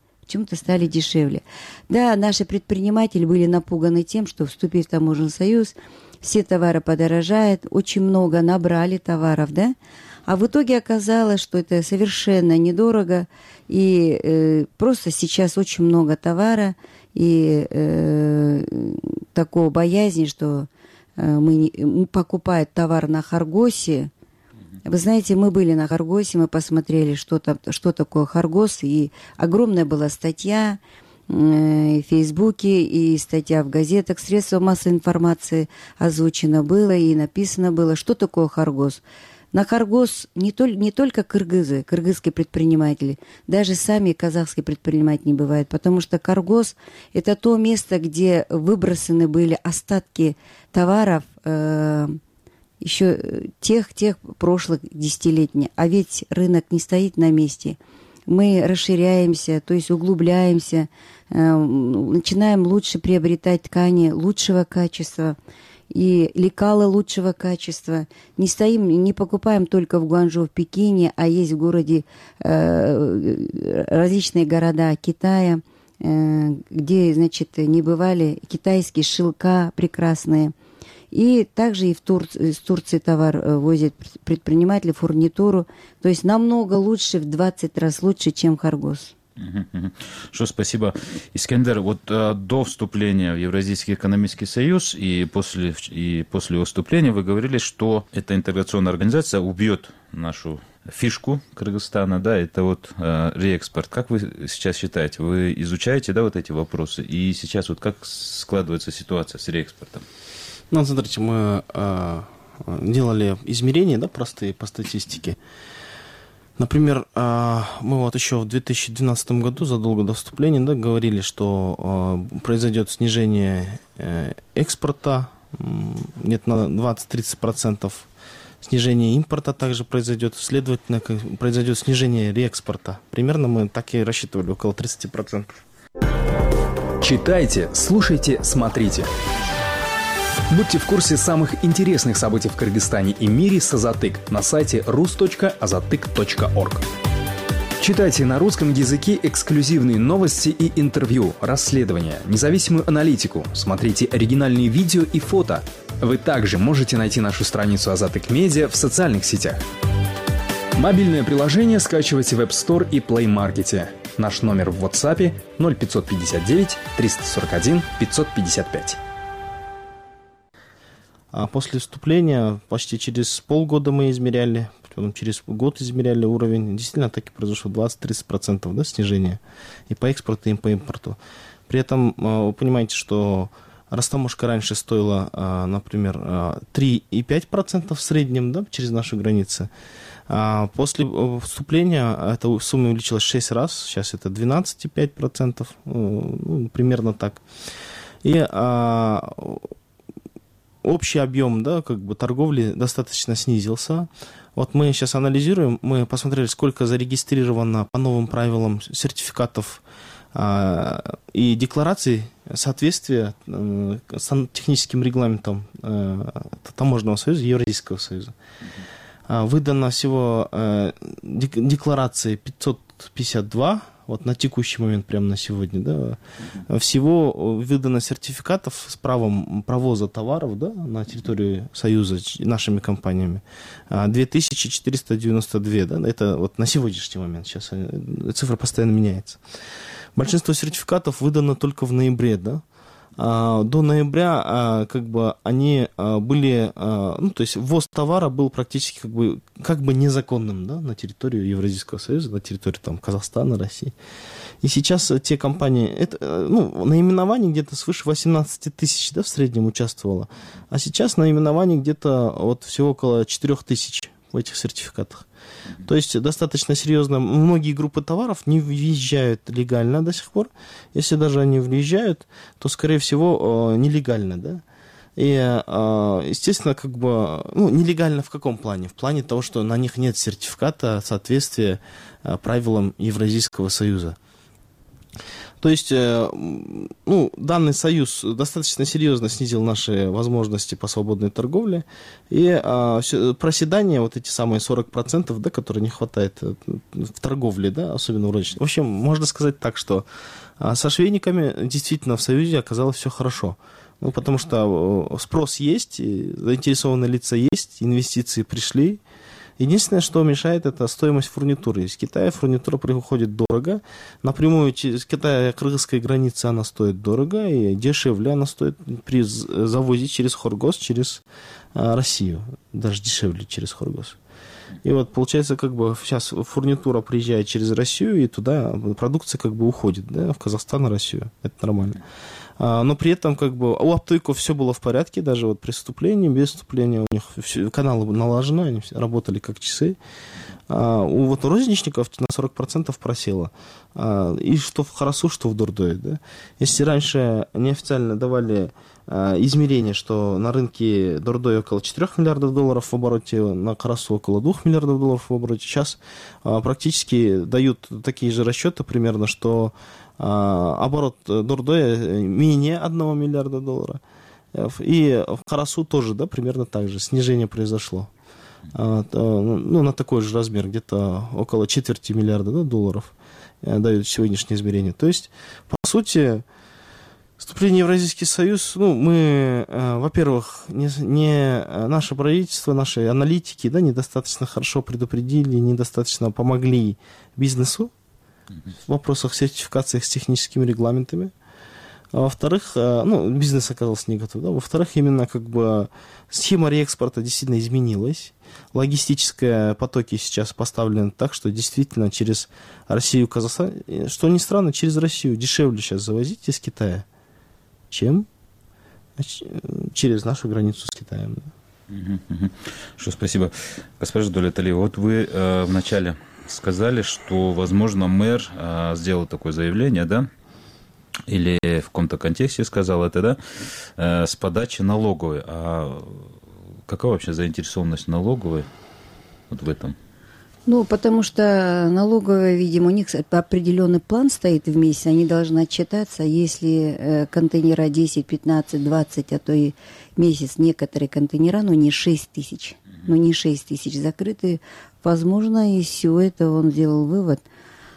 Да, наши предприниматели были напуганы тем, что, вступив в Таможенный союз, все товары подорожают, очень много набрали товаров, да? А в итоге оказалось, что это совершенно недорого, и просто сейчас очень много товара, и такого боязни, что мы покупаем товар на Харгосе. Вы знаете, мы были на Харгосе, мы посмотрели, что такое Харгос, и огромная была статья в Фейсбуке, и статья в газетах, средствах массовой информации озвучено было, и написано было, что такое Харгос. На Харгос не только кыргызские предприниматели, даже сами казахские предприниматели не бывают, потому что Харгос – это то место, где выбросаны были остатки товаров еще тех прошлых десятилетий. А ведь рынок не стоит на месте. Мы расширяемся, то есть углубляемся, начинаем лучше приобретать ткани лучшего качества и лекала лучшего качества. Не покупаем только в Гуанчжоу, в Пекине, а есть в городе различные города Китая, где, не бывали китайские шелка прекрасные. И также и из Турции товар возят предприниматели, фурнитуру. То есть намного лучше, в 20 раз лучше, чем Харгос. Что, спасибо. Искендер, до вступления в Евразийский экономический союз и после его вступления вы говорили, что эта интеграционная организация убьет нашу фишку Кыргызстана, да, это реэкспорт. Как вы сейчас считаете? Вы изучаете, да, эти вопросы? И сейчас как складывается ситуация с реэкспортом? Смотрите, мы делали измерения, да, простые по статистике. Например, мы еще в 2012 году, задолго до вступления, да, говорили, что произойдет снижение экспорта, где-то на 20-30%, снижение импорта также произойдет, следовательно, произойдет снижение реэкспорта. Примерно мы так и рассчитывали, около 30%. Читайте, слушайте, смотрите. Будьте в курсе самых интересных событий в Кыргызстане и мире с Азатык на сайте rus.azatyk.org. Читайте на русском языке эксклюзивные новости и интервью, расследования, независимую аналитику, смотрите оригинальные видео и фото. Вы также можете найти нашу страницу Азатык Медиа в социальных сетях. Мобильное приложение скачивайте в App Store и Play Market. Наш номер в WhatsApp 0559 341 555. А после вступления почти через полгода мы измеряли, потом через год измеряли уровень. Действительно, так и произошло 20-30%, да, снижение и по экспорту, и по импорту. При этом вы понимаете, что растаможка раньше стоила, например, 3,5% в среднем, да, через наши границы. А после вступления эта сумма увеличилась в 6 раз, сейчас это 12,5%, примерно так. И общий объем, да, торговли достаточно снизился. Мы сейчас анализируем, мы посмотрели, сколько зарегистрировано по новым правилам сертификатов и деклараций соответствия с техническим регламентом Таможенного союза, Евразийского союза. Выдано всего декларации 552, на текущий момент, прямо на сегодня, да, всего выдано сертификатов с правом провоза товаров, да, на территорию Союза нашими компаниями 2492, да, это на сегодняшний момент, сейчас цифра постоянно меняется. Большинство сертификатов выдано только в ноябре, да, до ноября как бы они были, ну, то есть ввоз товара был практически как бы незаконным, да, на территорию Евразийского союза, на территорию там Казахстана, России. И сейчас те компании, это, ну, наименований где-то свыше 18 тысяч, да, в среднем участвовало, а сейчас наименований где-то вот всего около 4 тысяч в этих сертификатах. То есть достаточно серьезно. Многие группы товаров не въезжают легально до сих пор. Если даже они въезжают, то, скорее всего, нелегально, да. И, естественно, как бы, ну, нелегально в каком плане? В плане того, что на них нет сертификата соответствия правилам Евразийского союза. То есть, ну, данный союз достаточно серьезно снизил наши возможности по свободной торговле, и проседание, вот эти самые 40%, да, которые не хватает в торговле, да, особенно в розничной. В общем, можно сказать так, что со швейниками действительно в союзе оказалось все хорошо. Ну, потому что спрос есть, заинтересованные лица есть, инвестиции пришли. Единственное, что мешает, это стоимость фурнитуры. Из Китая фурнитура приходит дорого. Напрямую из Китая кыргызской границы она стоит дорого, и дешевле она стоит при завозе через Хоргос, через Россию. Даже дешевле через Хоргос. И вот получается, как бы сейчас фурнитура приезжает через Россию, и туда продукция как бы уходит, да, в Казахстан и Россию. Это нормально. Но при этом как бы у оптовиков все было в порядке, даже вот при вступлении, без вступления у них все, каналы налажены, они все работали как часы. У вот розничников на 40% просело. И что в Карасу, что в Дордое. Да? Если раньше неофициально давали измерение, что на рынке Дордое около 4 миллиардов долларов в обороте, на Карасу около 2 миллиардов долларов в обороте, сейчас практически дают такие же расчеты примерно, что оборот Дордоя менее 1 миллиарда долларов. И в Карасу тоже, да, примерно так же снижение произошло. Ну, на такой же размер, где-то около 4 миллиарда, да, долларов дают сегодняшнее измерение. То есть, по сути, вступление в Евразийский союз, ну, мы, во-первых, наше правительство, наши аналитики, да, недостаточно хорошо предупредили, недостаточно помогли бизнесу в вопросах сертификации с техническими регламентами. А во-вторых, ну, бизнес оказался не готов. Да? Во-вторых, именно как бы схема реэкспорта действительно изменилась. Логистические потоки сейчас поставлены так, что действительно через Россию, Казахстан, что ни странно, через Россию дешевле сейчас завозить из Китая, чем через нашу границу с Китаем. Что, спасибо. Госпожа Долеталиева, вот вы вначале сказали, что, возможно, мэр сделал такое заявление, да, или в каком-то контексте сказал это, да, с подачи налоговой. А какова вообще заинтересованность налоговой вот в этом? Ну, потому что налоговая, видимо, у них определенный план стоит в месяц, они должны отчитаться, если контейнера 10, 15, 20, а то и месяц некоторые контейнера, но не 6 тысяч, закрыты. Возможно, из всего этого он сделал вывод,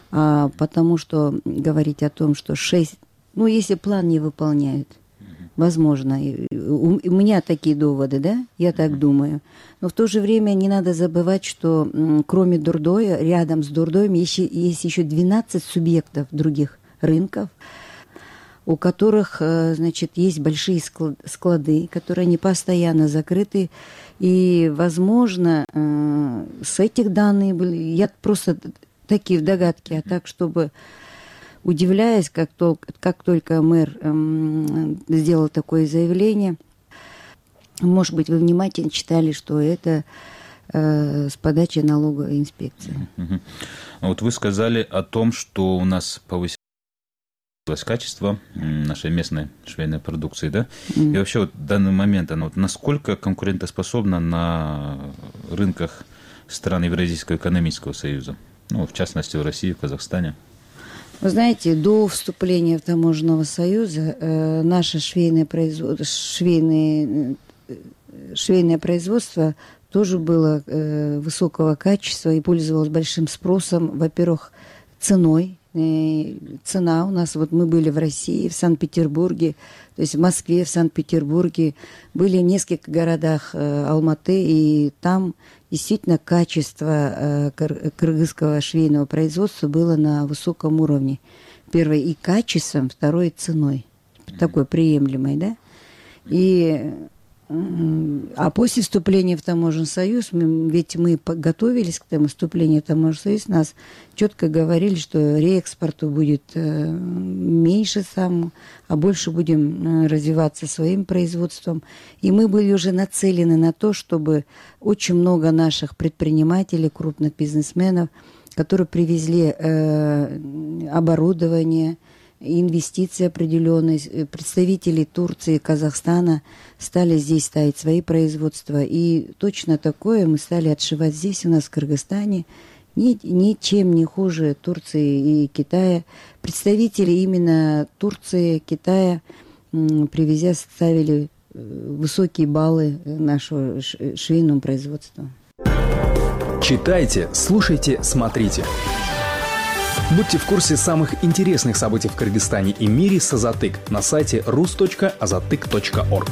потому что говорить о том, что 6, ну, если план не выполняют, возможно, у меня такие доводы, да, я так думаю. Но в то же время не надо забывать, что кроме Дордоя, рядом с Дордоем есть еще 12 субъектов других рынков, у которых, значит, есть большие склады, которые не постоянно закрыты. И, возможно, с этих данных были, я просто такие догадки, а так, чтобы, удивляясь, как только мэр сделал такое заявление, может быть, вы внимательно читали, что это с подачи налоговой инспекции. Вот вы сказали о том, что у нас повысилось качество нашей местной швейной продукции, да? И вообще вот в данный момент она вот насколько конкурентоспособна на рынках стран Евразийского экономического союза? Ну, в частности, в России, в Казахстане. Вы знаете, до вступления в Таможенного союза наше швейное производство тоже было высокого качества и пользовалось большим спросом. Во-первых, ценой. Цена у нас, вот мы были в России, в Санкт-Петербурге, то есть в Москве, в Санкт-Петербурге, были в нескольких городах Алматы, и там действительно качество кыргызского швейного производства было на высоком уровне. Первое, и качеством, второе, ценой. такой приемлемой, да. А после вступления в Таможенный союз, ведь мы готовились к тому вступлению в Таможенный союз, нас четко говорили, что реэкспорту будет меньше а больше будем развиваться своим производством. И мы были уже нацелены на то, чтобы очень много наших предпринимателей, крупных бизнесменов, которые привезли оборудование, инвестиции определенные, представители Турции, Казахстана стали здесь ставить свои производства. И точно такое мы стали отшивать здесь, у нас в Кыргызстане, ничем не хуже Турции и Китая. Представители именно Турции, Китая, привезя, ставили высокие баллы нашего швейного производства. Читайте, слушайте, смотрите. Будьте в курсе самых интересных событий в Кыргызстане и мире с Азатык на сайте rus.azatyk.org.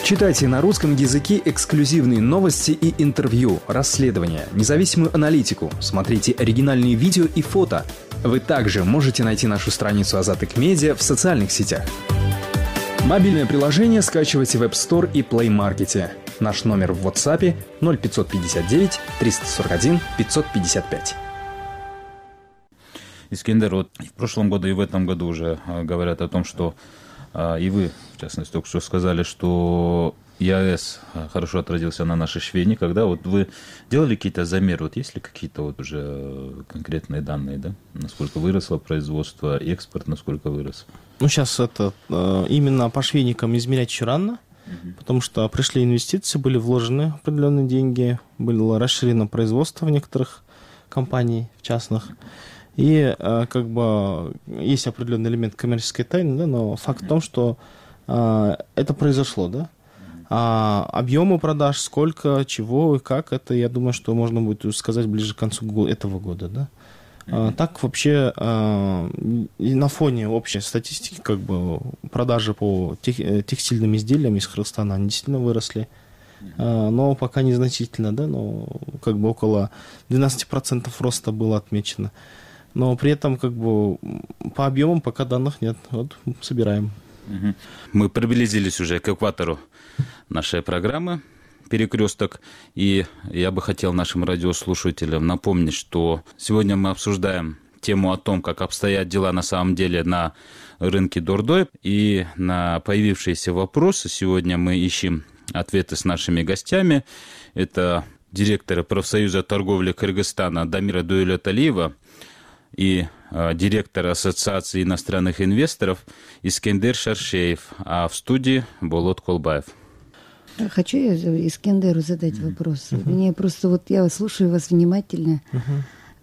Читайте на русском языке эксклюзивные новости и интервью, расследования, независимую аналитику, смотрите оригинальные видео и фото. Вы также можете найти нашу страницу Азатык Медиа в социальных сетях. Мобильное приложение скачивайте в App Store и Play Market. Наш номер в WhatsApp 0559 341 555. Искендер, вот в прошлом году и в этом году уже говорят о том, что и вы, в частности, только что сказали, что ЕАЭС хорошо отразился на нашей швейне. Когда вот вы делали какие-то замеры, вот есть ли какие-то вот уже конкретные данные, да? Насколько выросло производство, экспорт насколько вырос? Ну, сейчас это именно по швейникам измерять еще рано, потому что пришли инвестиции, были вложены определенные деньги, было расширено производство в некоторых компаний, в частных. И как бы есть определенный элемент коммерческой тайны, да, но факт в том, что это произошло, да. А объемы продаж, сколько, чего и как, это, я думаю, что можно будет сказать ближе к концу этого года, да. Так вообще на фоне общей статистики, как бы продажи по текстильным изделиям из Кыргызстана, они действительно выросли. Но пока незначительно, да, но как бы около 12% роста было отмечено. Но при этом как бы по объемам пока данных нет. Вот собираем. Мы приблизились уже к экватору нашей программы «Перекресток». И я бы хотел нашим радиослушателям напомнить, что сегодня мы обсуждаем тему о том, как обстоят дела на самом деле на рынке Дордой. И на появившиеся вопросы сегодня мы ищем ответы с нашими гостями. Это директор профсоюза торговли Кыргызстана Дамира Дуэлеталиева и директор Ассоциации иностранных инвесторов Искендер Шаршеев, а в студии Болот Колбаев. Хочу я Искендеру задать вопрос. Мне просто вот я слушаю вас внимательно.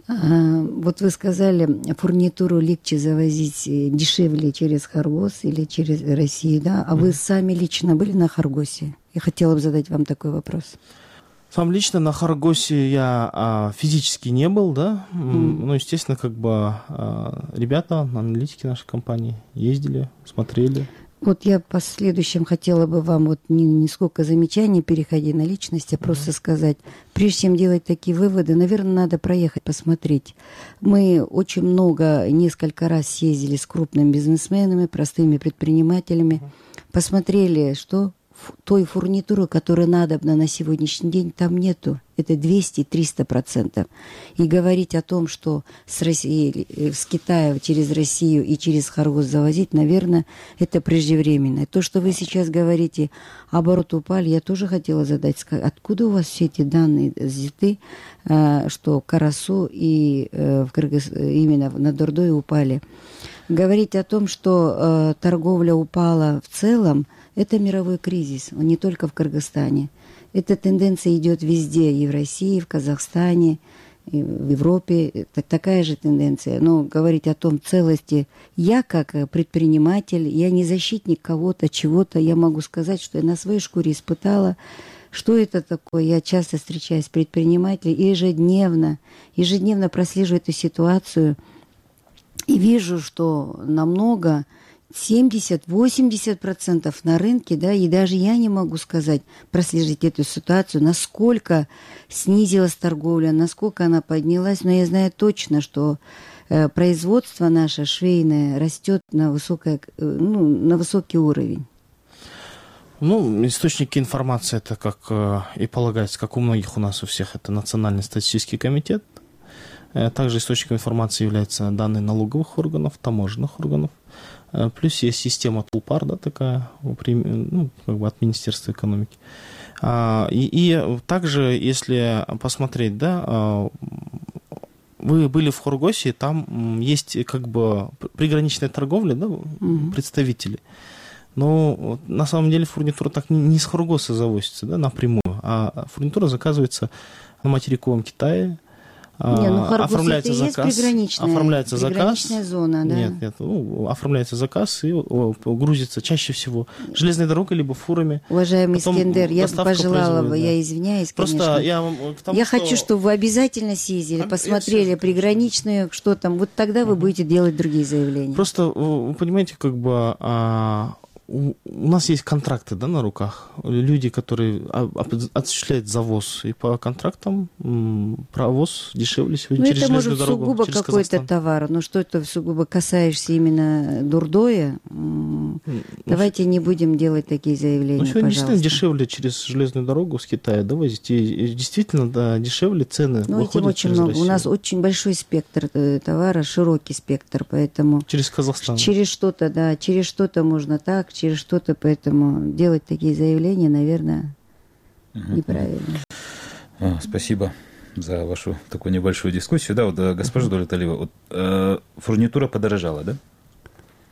Вот вы сказали, фурнитуру легче завозить дешевле через Хоргос или через Россию, да? А вы сами лично были на Хоргосе? Я хотела бы задать вам такой вопрос. Сам лично на Хоргосе я физически не был, да. Ну, естественно, как бы ребята, аналитики нашей компании ездили, смотрели. Вот я по следующем хотела бы вам вот не сколько замечаний, переходя на личность, а просто сказать, прежде чем делать такие выводы, наверное, надо проехать, посмотреть. Мы очень много, несколько раз съездили с крупными бизнесменами, простыми предпринимателями, посмотрели, что той фурнитуры, которая надобна на сегодняшний день, там нету. Это 200-300%. И говорить о том, что с Китая через Россию и через Хоргос завозить, наверное, это преждевременно. То, что вы сейчас говорите, обороты упали, я тоже хотела задать. Откуда у вас все эти данные взяты, что Карасу и именно на Дордой упали? Говорить о том, что торговля упала в целом, это мировой кризис, он не только в Кыргызстане. Эта тенденция идет везде, и в России, и в Казахстане, и в Европе. Такая же тенденция. Но говорить о том целости, я как предприниматель, я не защитник кого-то, чего-то, я могу сказать, что я на своей шкуре испытала, что это такое. Я часто встречаюсь с предпринимателями и ежедневно прослеживаю эту ситуацию и вижу, что намного 70-80% на рынке, да, и даже я не могу сказать, проследить эту ситуацию, насколько снизилась торговля, насколько она поднялась, но я знаю точно, что производство наше швейное растет на высокий уровень. Источники информации, это как и полагается, как у многих у нас, у всех, это Национальный статистический комитет. Также источником информации являются данные налоговых органов, таможенных органов. Плюс есть система Тулпар, да, такая, от Министерства экономики. И также, если посмотреть, да, вы были в Хоргосе, там есть приграничная торговля, да, представители. Но на самом деле фурнитура так не с Хоргоса завозится, да, напрямую, а фурнитура заказывается на материковом Китае. Оформляется заказ, приграничная зона, да? Нет, оформляется заказ и грузится чаще всего железной дорогой либо фурами. Уважаемый Искендер, я бы пожелала, я извиняюсь, просто конечно. Я хочу, чтобы вы обязательно съездили, посмотрели приграничную, что там, вот тогда вы будете делать другие заявления. Просто, вы понимаете, у нас есть контракты, да, на руках. Люди, которые осуществляют завоз. И по контрактам провоз дешевле сегодня через железную дорогу. Это может сугубо какой-то товар. Но что это сугубо касаешься именно Дурдоя, давайте не будем делать такие заявления, сегодня действительно дешевле через железную дорогу с Китая довозить. И действительно, да, дешевле цены выходят через Россию. У нас очень большой спектр товара, широкий спектр, поэтому... Через Казахстан. Через что-то можно так, через что-то, поэтому делать такие заявления, наверное, неправильно. Спасибо за вашу такую небольшую дискуссию. Да, вот госпожа Дулеталиева, фурнитура подорожала, да?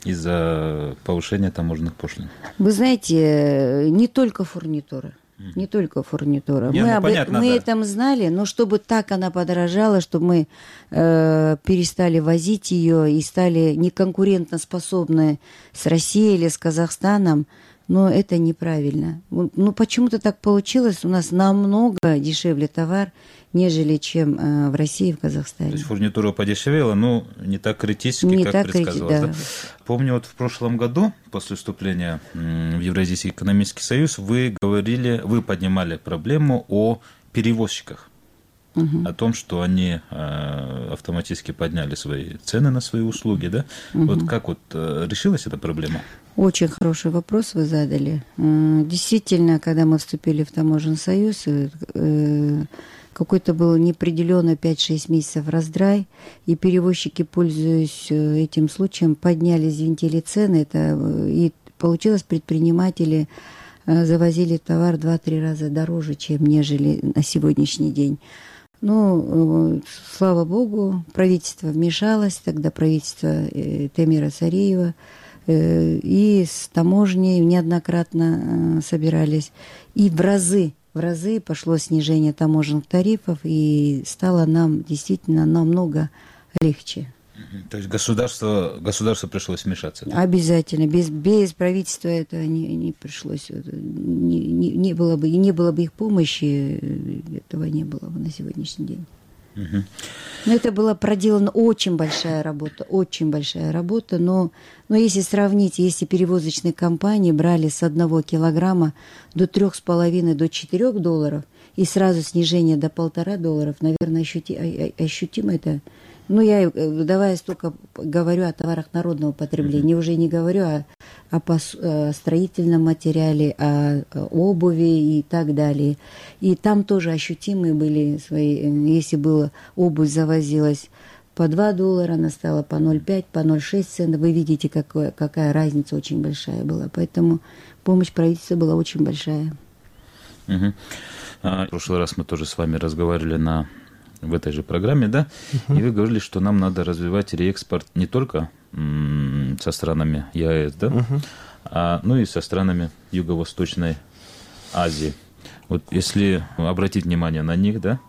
Из-за повышения таможенных пошлин. Вы знаете, не только фурнитура. Не только фурнитура. Мы это знали, но чтобы так она подорожала, чтобы мы перестали возить ее и стали неконкурентоспособны с Россией или с Казахстаном, но это неправильно. Почему-то так получилось. У нас намного дешевле товар, нежели чем в России и в Казахстане. То есть фурнитура подешевела, но не так критически, как предсказывалось. Да. Помню, в прошлом году, после вступления в Евразийский экономический союз, вы поднимали проблему о перевозчиках. О том, что они автоматически подняли свои цены на свои услуги, да? Вот как решилась эта проблема? Очень хороший вопрос вы задали. Действительно, когда мы вступили в Таможенный союз, какой-то был неопределенно 5-6 месяцев раздрай, и перевозчики, пользуясь этим случаем, подняли, взвинтили цены, и получилось, предприниматели завозили товар 2-3 раза дороже, чем нежели на сегодняшний день. Слава богу, правительство вмешалось, тогда правительство Темира Цареева, и с таможней неоднократно собирались, и в разы пошло снижение таможенных тарифов, и стало нам действительно намного легче. То есть государству пришлось вмешаться? Да? Обязательно. Без правительства это не пришлось. Не было бы их помощи, этого не было бы на сегодняшний день. Но это была проделана очень большая работа, но если сравнить, если перевозочные компании брали с 1 килограмма до 3,5 до 4 долларов, и сразу снижение до $1,5, наверное, ощутимо это. Я только говорю о товарах народного потребления, уже не говорю о строительном материале, о обуви и так далее. И там тоже ощутимые были свои, если было обувь завозилась по $2, она стала по 0,5, по 0,6 центов. Вы видите, какая разница очень большая была. Поэтому помощь правительства была очень большая. В прошлый раз мы тоже с вами разговаривали в этой же программе, да, и вы говорили, что нам надо развивать реэкспорт не только со странами ЕАЭС, да, но и со странами Юго-Восточной Азии. Вот если обратить внимание на них, да,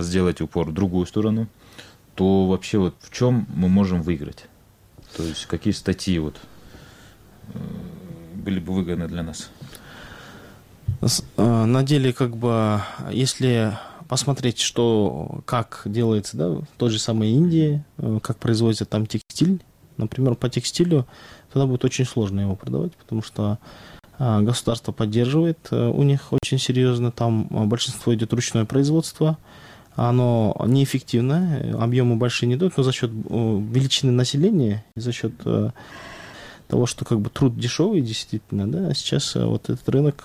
сделать упор в другую сторону, то вообще в чем мы можем выиграть? То есть какие статьи были бы выгодны для нас? На деле, если посмотреть, как делается, да, в той же самой Индии, как производится там текстиль, Например, по текстилю тогда будет очень сложно его продавать, потому что государство поддерживает у них очень серьезно, там большинство идет ручное производство, оно неэффективно, объемы большие не дают, но за счет величины населения и за счет того, что как бы труд дешевый действительно, да, сейчас вот этот рынок,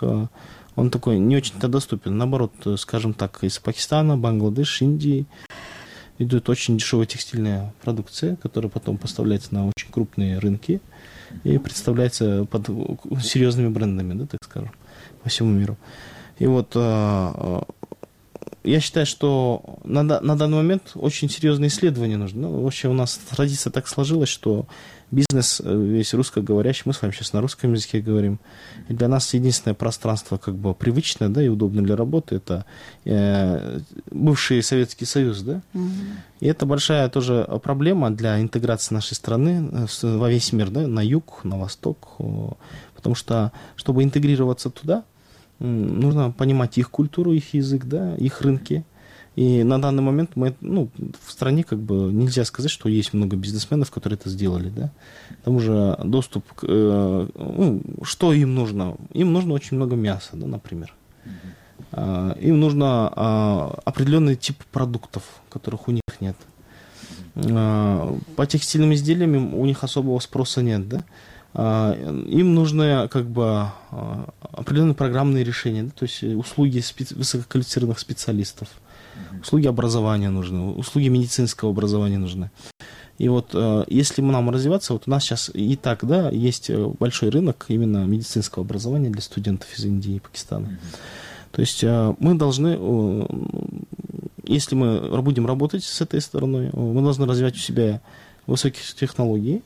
он такой не очень-то доступен. Наоборот, скажем так, из Пакистана, Бангладеш, Индии идет очень дешевая текстильная продукция, которая потом поставляется на очень крупные рынки и представляется под серьезными брендами, да, так скажем, по всему миру. И вот я считаю, что на данный момент очень серьезные исследования нужны. Ну, вообще у нас традиция так сложилась, что бизнес весь русскоговорящий, мы с вами сейчас на русском языке говорим, и для нас единственное пространство как бы привычное, да, и удобное для работы, это бывший Советский Союз, да, и это большая тоже проблема для интеграции нашей страны во весь мир, да, на юг, на восток, потому что, чтобы интегрироваться туда, нужно понимать их культуру, их язык, да, их рынки. И на данный момент мы, в стране как бы нельзя сказать, что есть много бизнесменов, которые это сделали, да. К тому же доступ что им нужно? Им нужно очень много мяса, да, например. Им нужно определенный тип продуктов, которых у них нет. По текстильным изделиям у них особого спроса нет, да. Им нужны как бы определенные программные решения, да, то есть услуги высококвалифицированных специалистов, услуги образования нужны, услуги медицинского образования нужны. И вот если нам развиваться, вот у нас сейчас и так, да, есть большой рынок именно медицинского образования для студентов из Индии и Пакистана. То есть мы должны, если мы будем работать с этой стороной, мы должны развивать у себя высокие технологии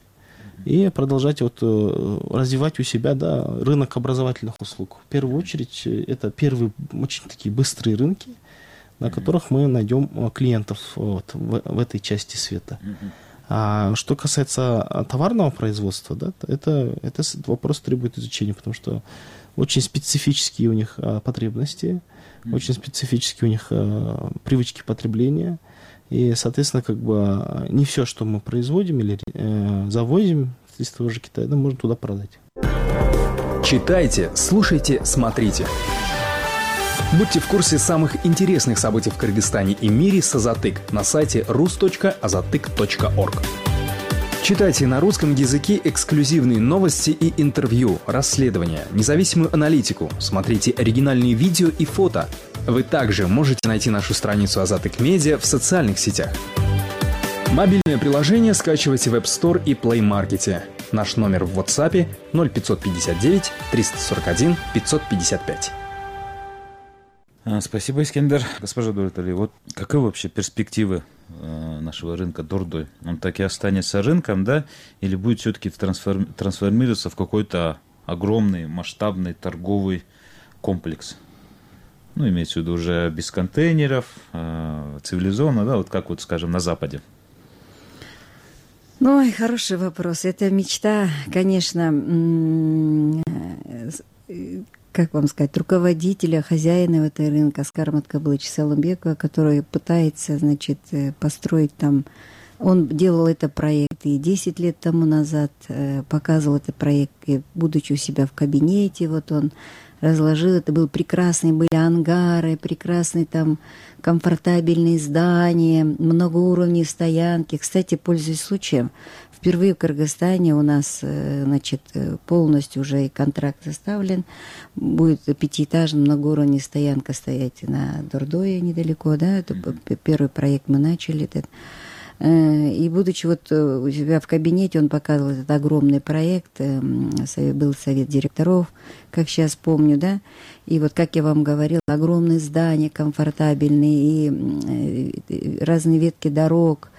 и продолжать развивать у себя, да, рынок образовательных услуг. В первую очередь, это первые очень такие быстрые рынки, на которых мы найдем клиентов в этой части света. А что касается товарного производства, да, этот вопрос требует изучения, потому что очень специфические у них потребности, очень специфические у них привычки потребления. И, соответственно, как бы не все, что мы производим или завозим из того же Китая, да, можно туда продать. Читайте, слушайте, смотрите. Будьте в курсе самых интересных событий в Кыргызстане и мире с Азатык на сайте rus.azatyk.org. Читайте на русском языке эксклюзивные новости и интервью, расследования, независимую аналитику, смотрите оригинальные видео и фото. Вы также можете найти нашу страницу Азатык Медиа в социальных сетях. Мобильное приложение скачивайте в App Store и Play Market. Наш номер в WhatsApp 0559 341 555. Спасибо, Искендер. Госпожа Дулетали, вот каковы вообще перспективы нашего рынка Дордой? Он так и останется рынком, да? Или будет все-таки трансформироваться в какой-то огромный, масштабный торговый комплекс? Ну, имеется в виду уже без контейнеров, цивилизованно, да, вот как вот, скажем, на Западе. Ой, хороший вопрос. Это мечта, конечно, как вам сказать, руководителя, хозяина этого рынка Аскара Маткабылыча Салымбекова, который пытается, значит, построить там. Он делал этот проект и 10 лет тому назад, показывал этот проект, будучи у себя в кабинете, вот он разложил, это был прекрасный, были ангары, прекрасные там комфортабельные здания, много уровней стоянки. Кстати, пользуясь случаем, впервые в Кыргызстане у нас, значит, полностью уже и контракт составлен, будет пятиэтажная многоуровневая стоянка стоять на Дордое недалеко, да, это первый проект мы начали, этот. И будучи вот у себя в кабинете, он показывал этот огромный проект, был совет директоров, как сейчас помню, да, и вот, как я вам говорила, огромные здания, комфортабельные, и разные ветки дорог.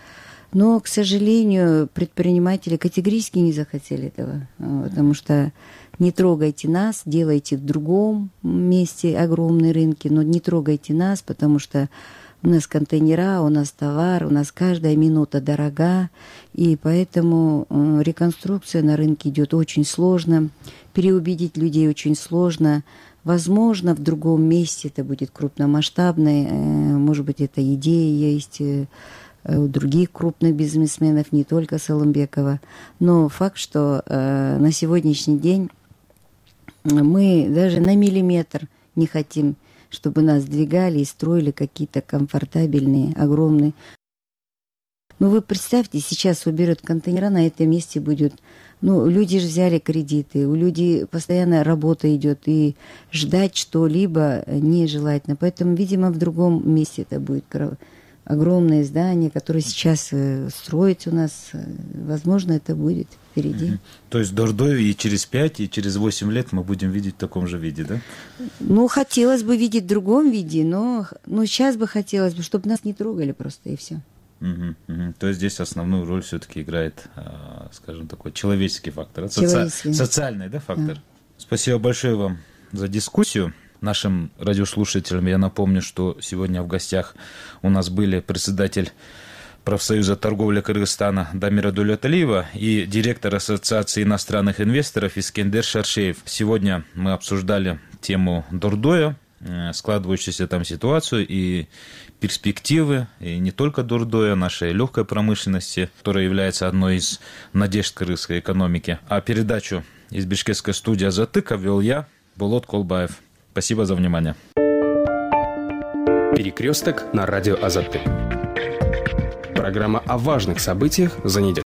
Но, к сожалению, предприниматели категорически не захотели этого, потому что не трогайте нас, делайте в другом месте огромные рынки, но не трогайте нас, потому что у нас контейнера, у нас товар, у нас каждая минута дорога, и поэтому реконструкция на рынке идет очень сложно, переубедить людей очень сложно. Возможно, в другом месте это будет крупномасштабной, может быть, это идея есть у других крупных бизнесменов, не только Салымбекова. Но факт, что на сегодняшний день мы даже на миллиметр не хотим, чтобы нас двигали и строили какие-то комфортабельные, огромные. Ну, вы представьте, сейчас уберут контейнера, на этом месте будет... Ну, люди же взяли кредиты, у людей постоянно работа идет, и ждать что-либо нежелательно. Поэтому, видимо, в другом месте это будет огромное здание, которое сейчас строится у нас. Возможно, это будет впереди. То есть Дордой и через 5, и через 8 лет мы будем видеть в таком же виде, да? Ну, хотелось бы видеть в другом виде, но сейчас бы хотелось бы, чтобы нас не трогали просто, и все. То есть здесь основную роль все-таки играет, скажем, такой человеческий фактор, социальный, да, фактор. Да. Спасибо большое вам за дискуссию. Нашим радиослушателям я напомню, что сегодня в гостях у нас были председатель профсоюза торговли Кыргызстана Дамира Дуляталиева и директор Ассоциации иностранных инвесторов Искендер Шаршеев. Сегодня мы обсуждали тему Дордоя, складывающуюся там ситуацию и перспективы, и не только Дордоя, нашей легкой промышленности, которая является одной из надежд кыргызской экономики. А передачу из бишкекской студии «Азаттык» вел я, Болот Колбаев. Спасибо за внимание. Перекресток на радио «Азаттык». Программа о важных событиях за неделю.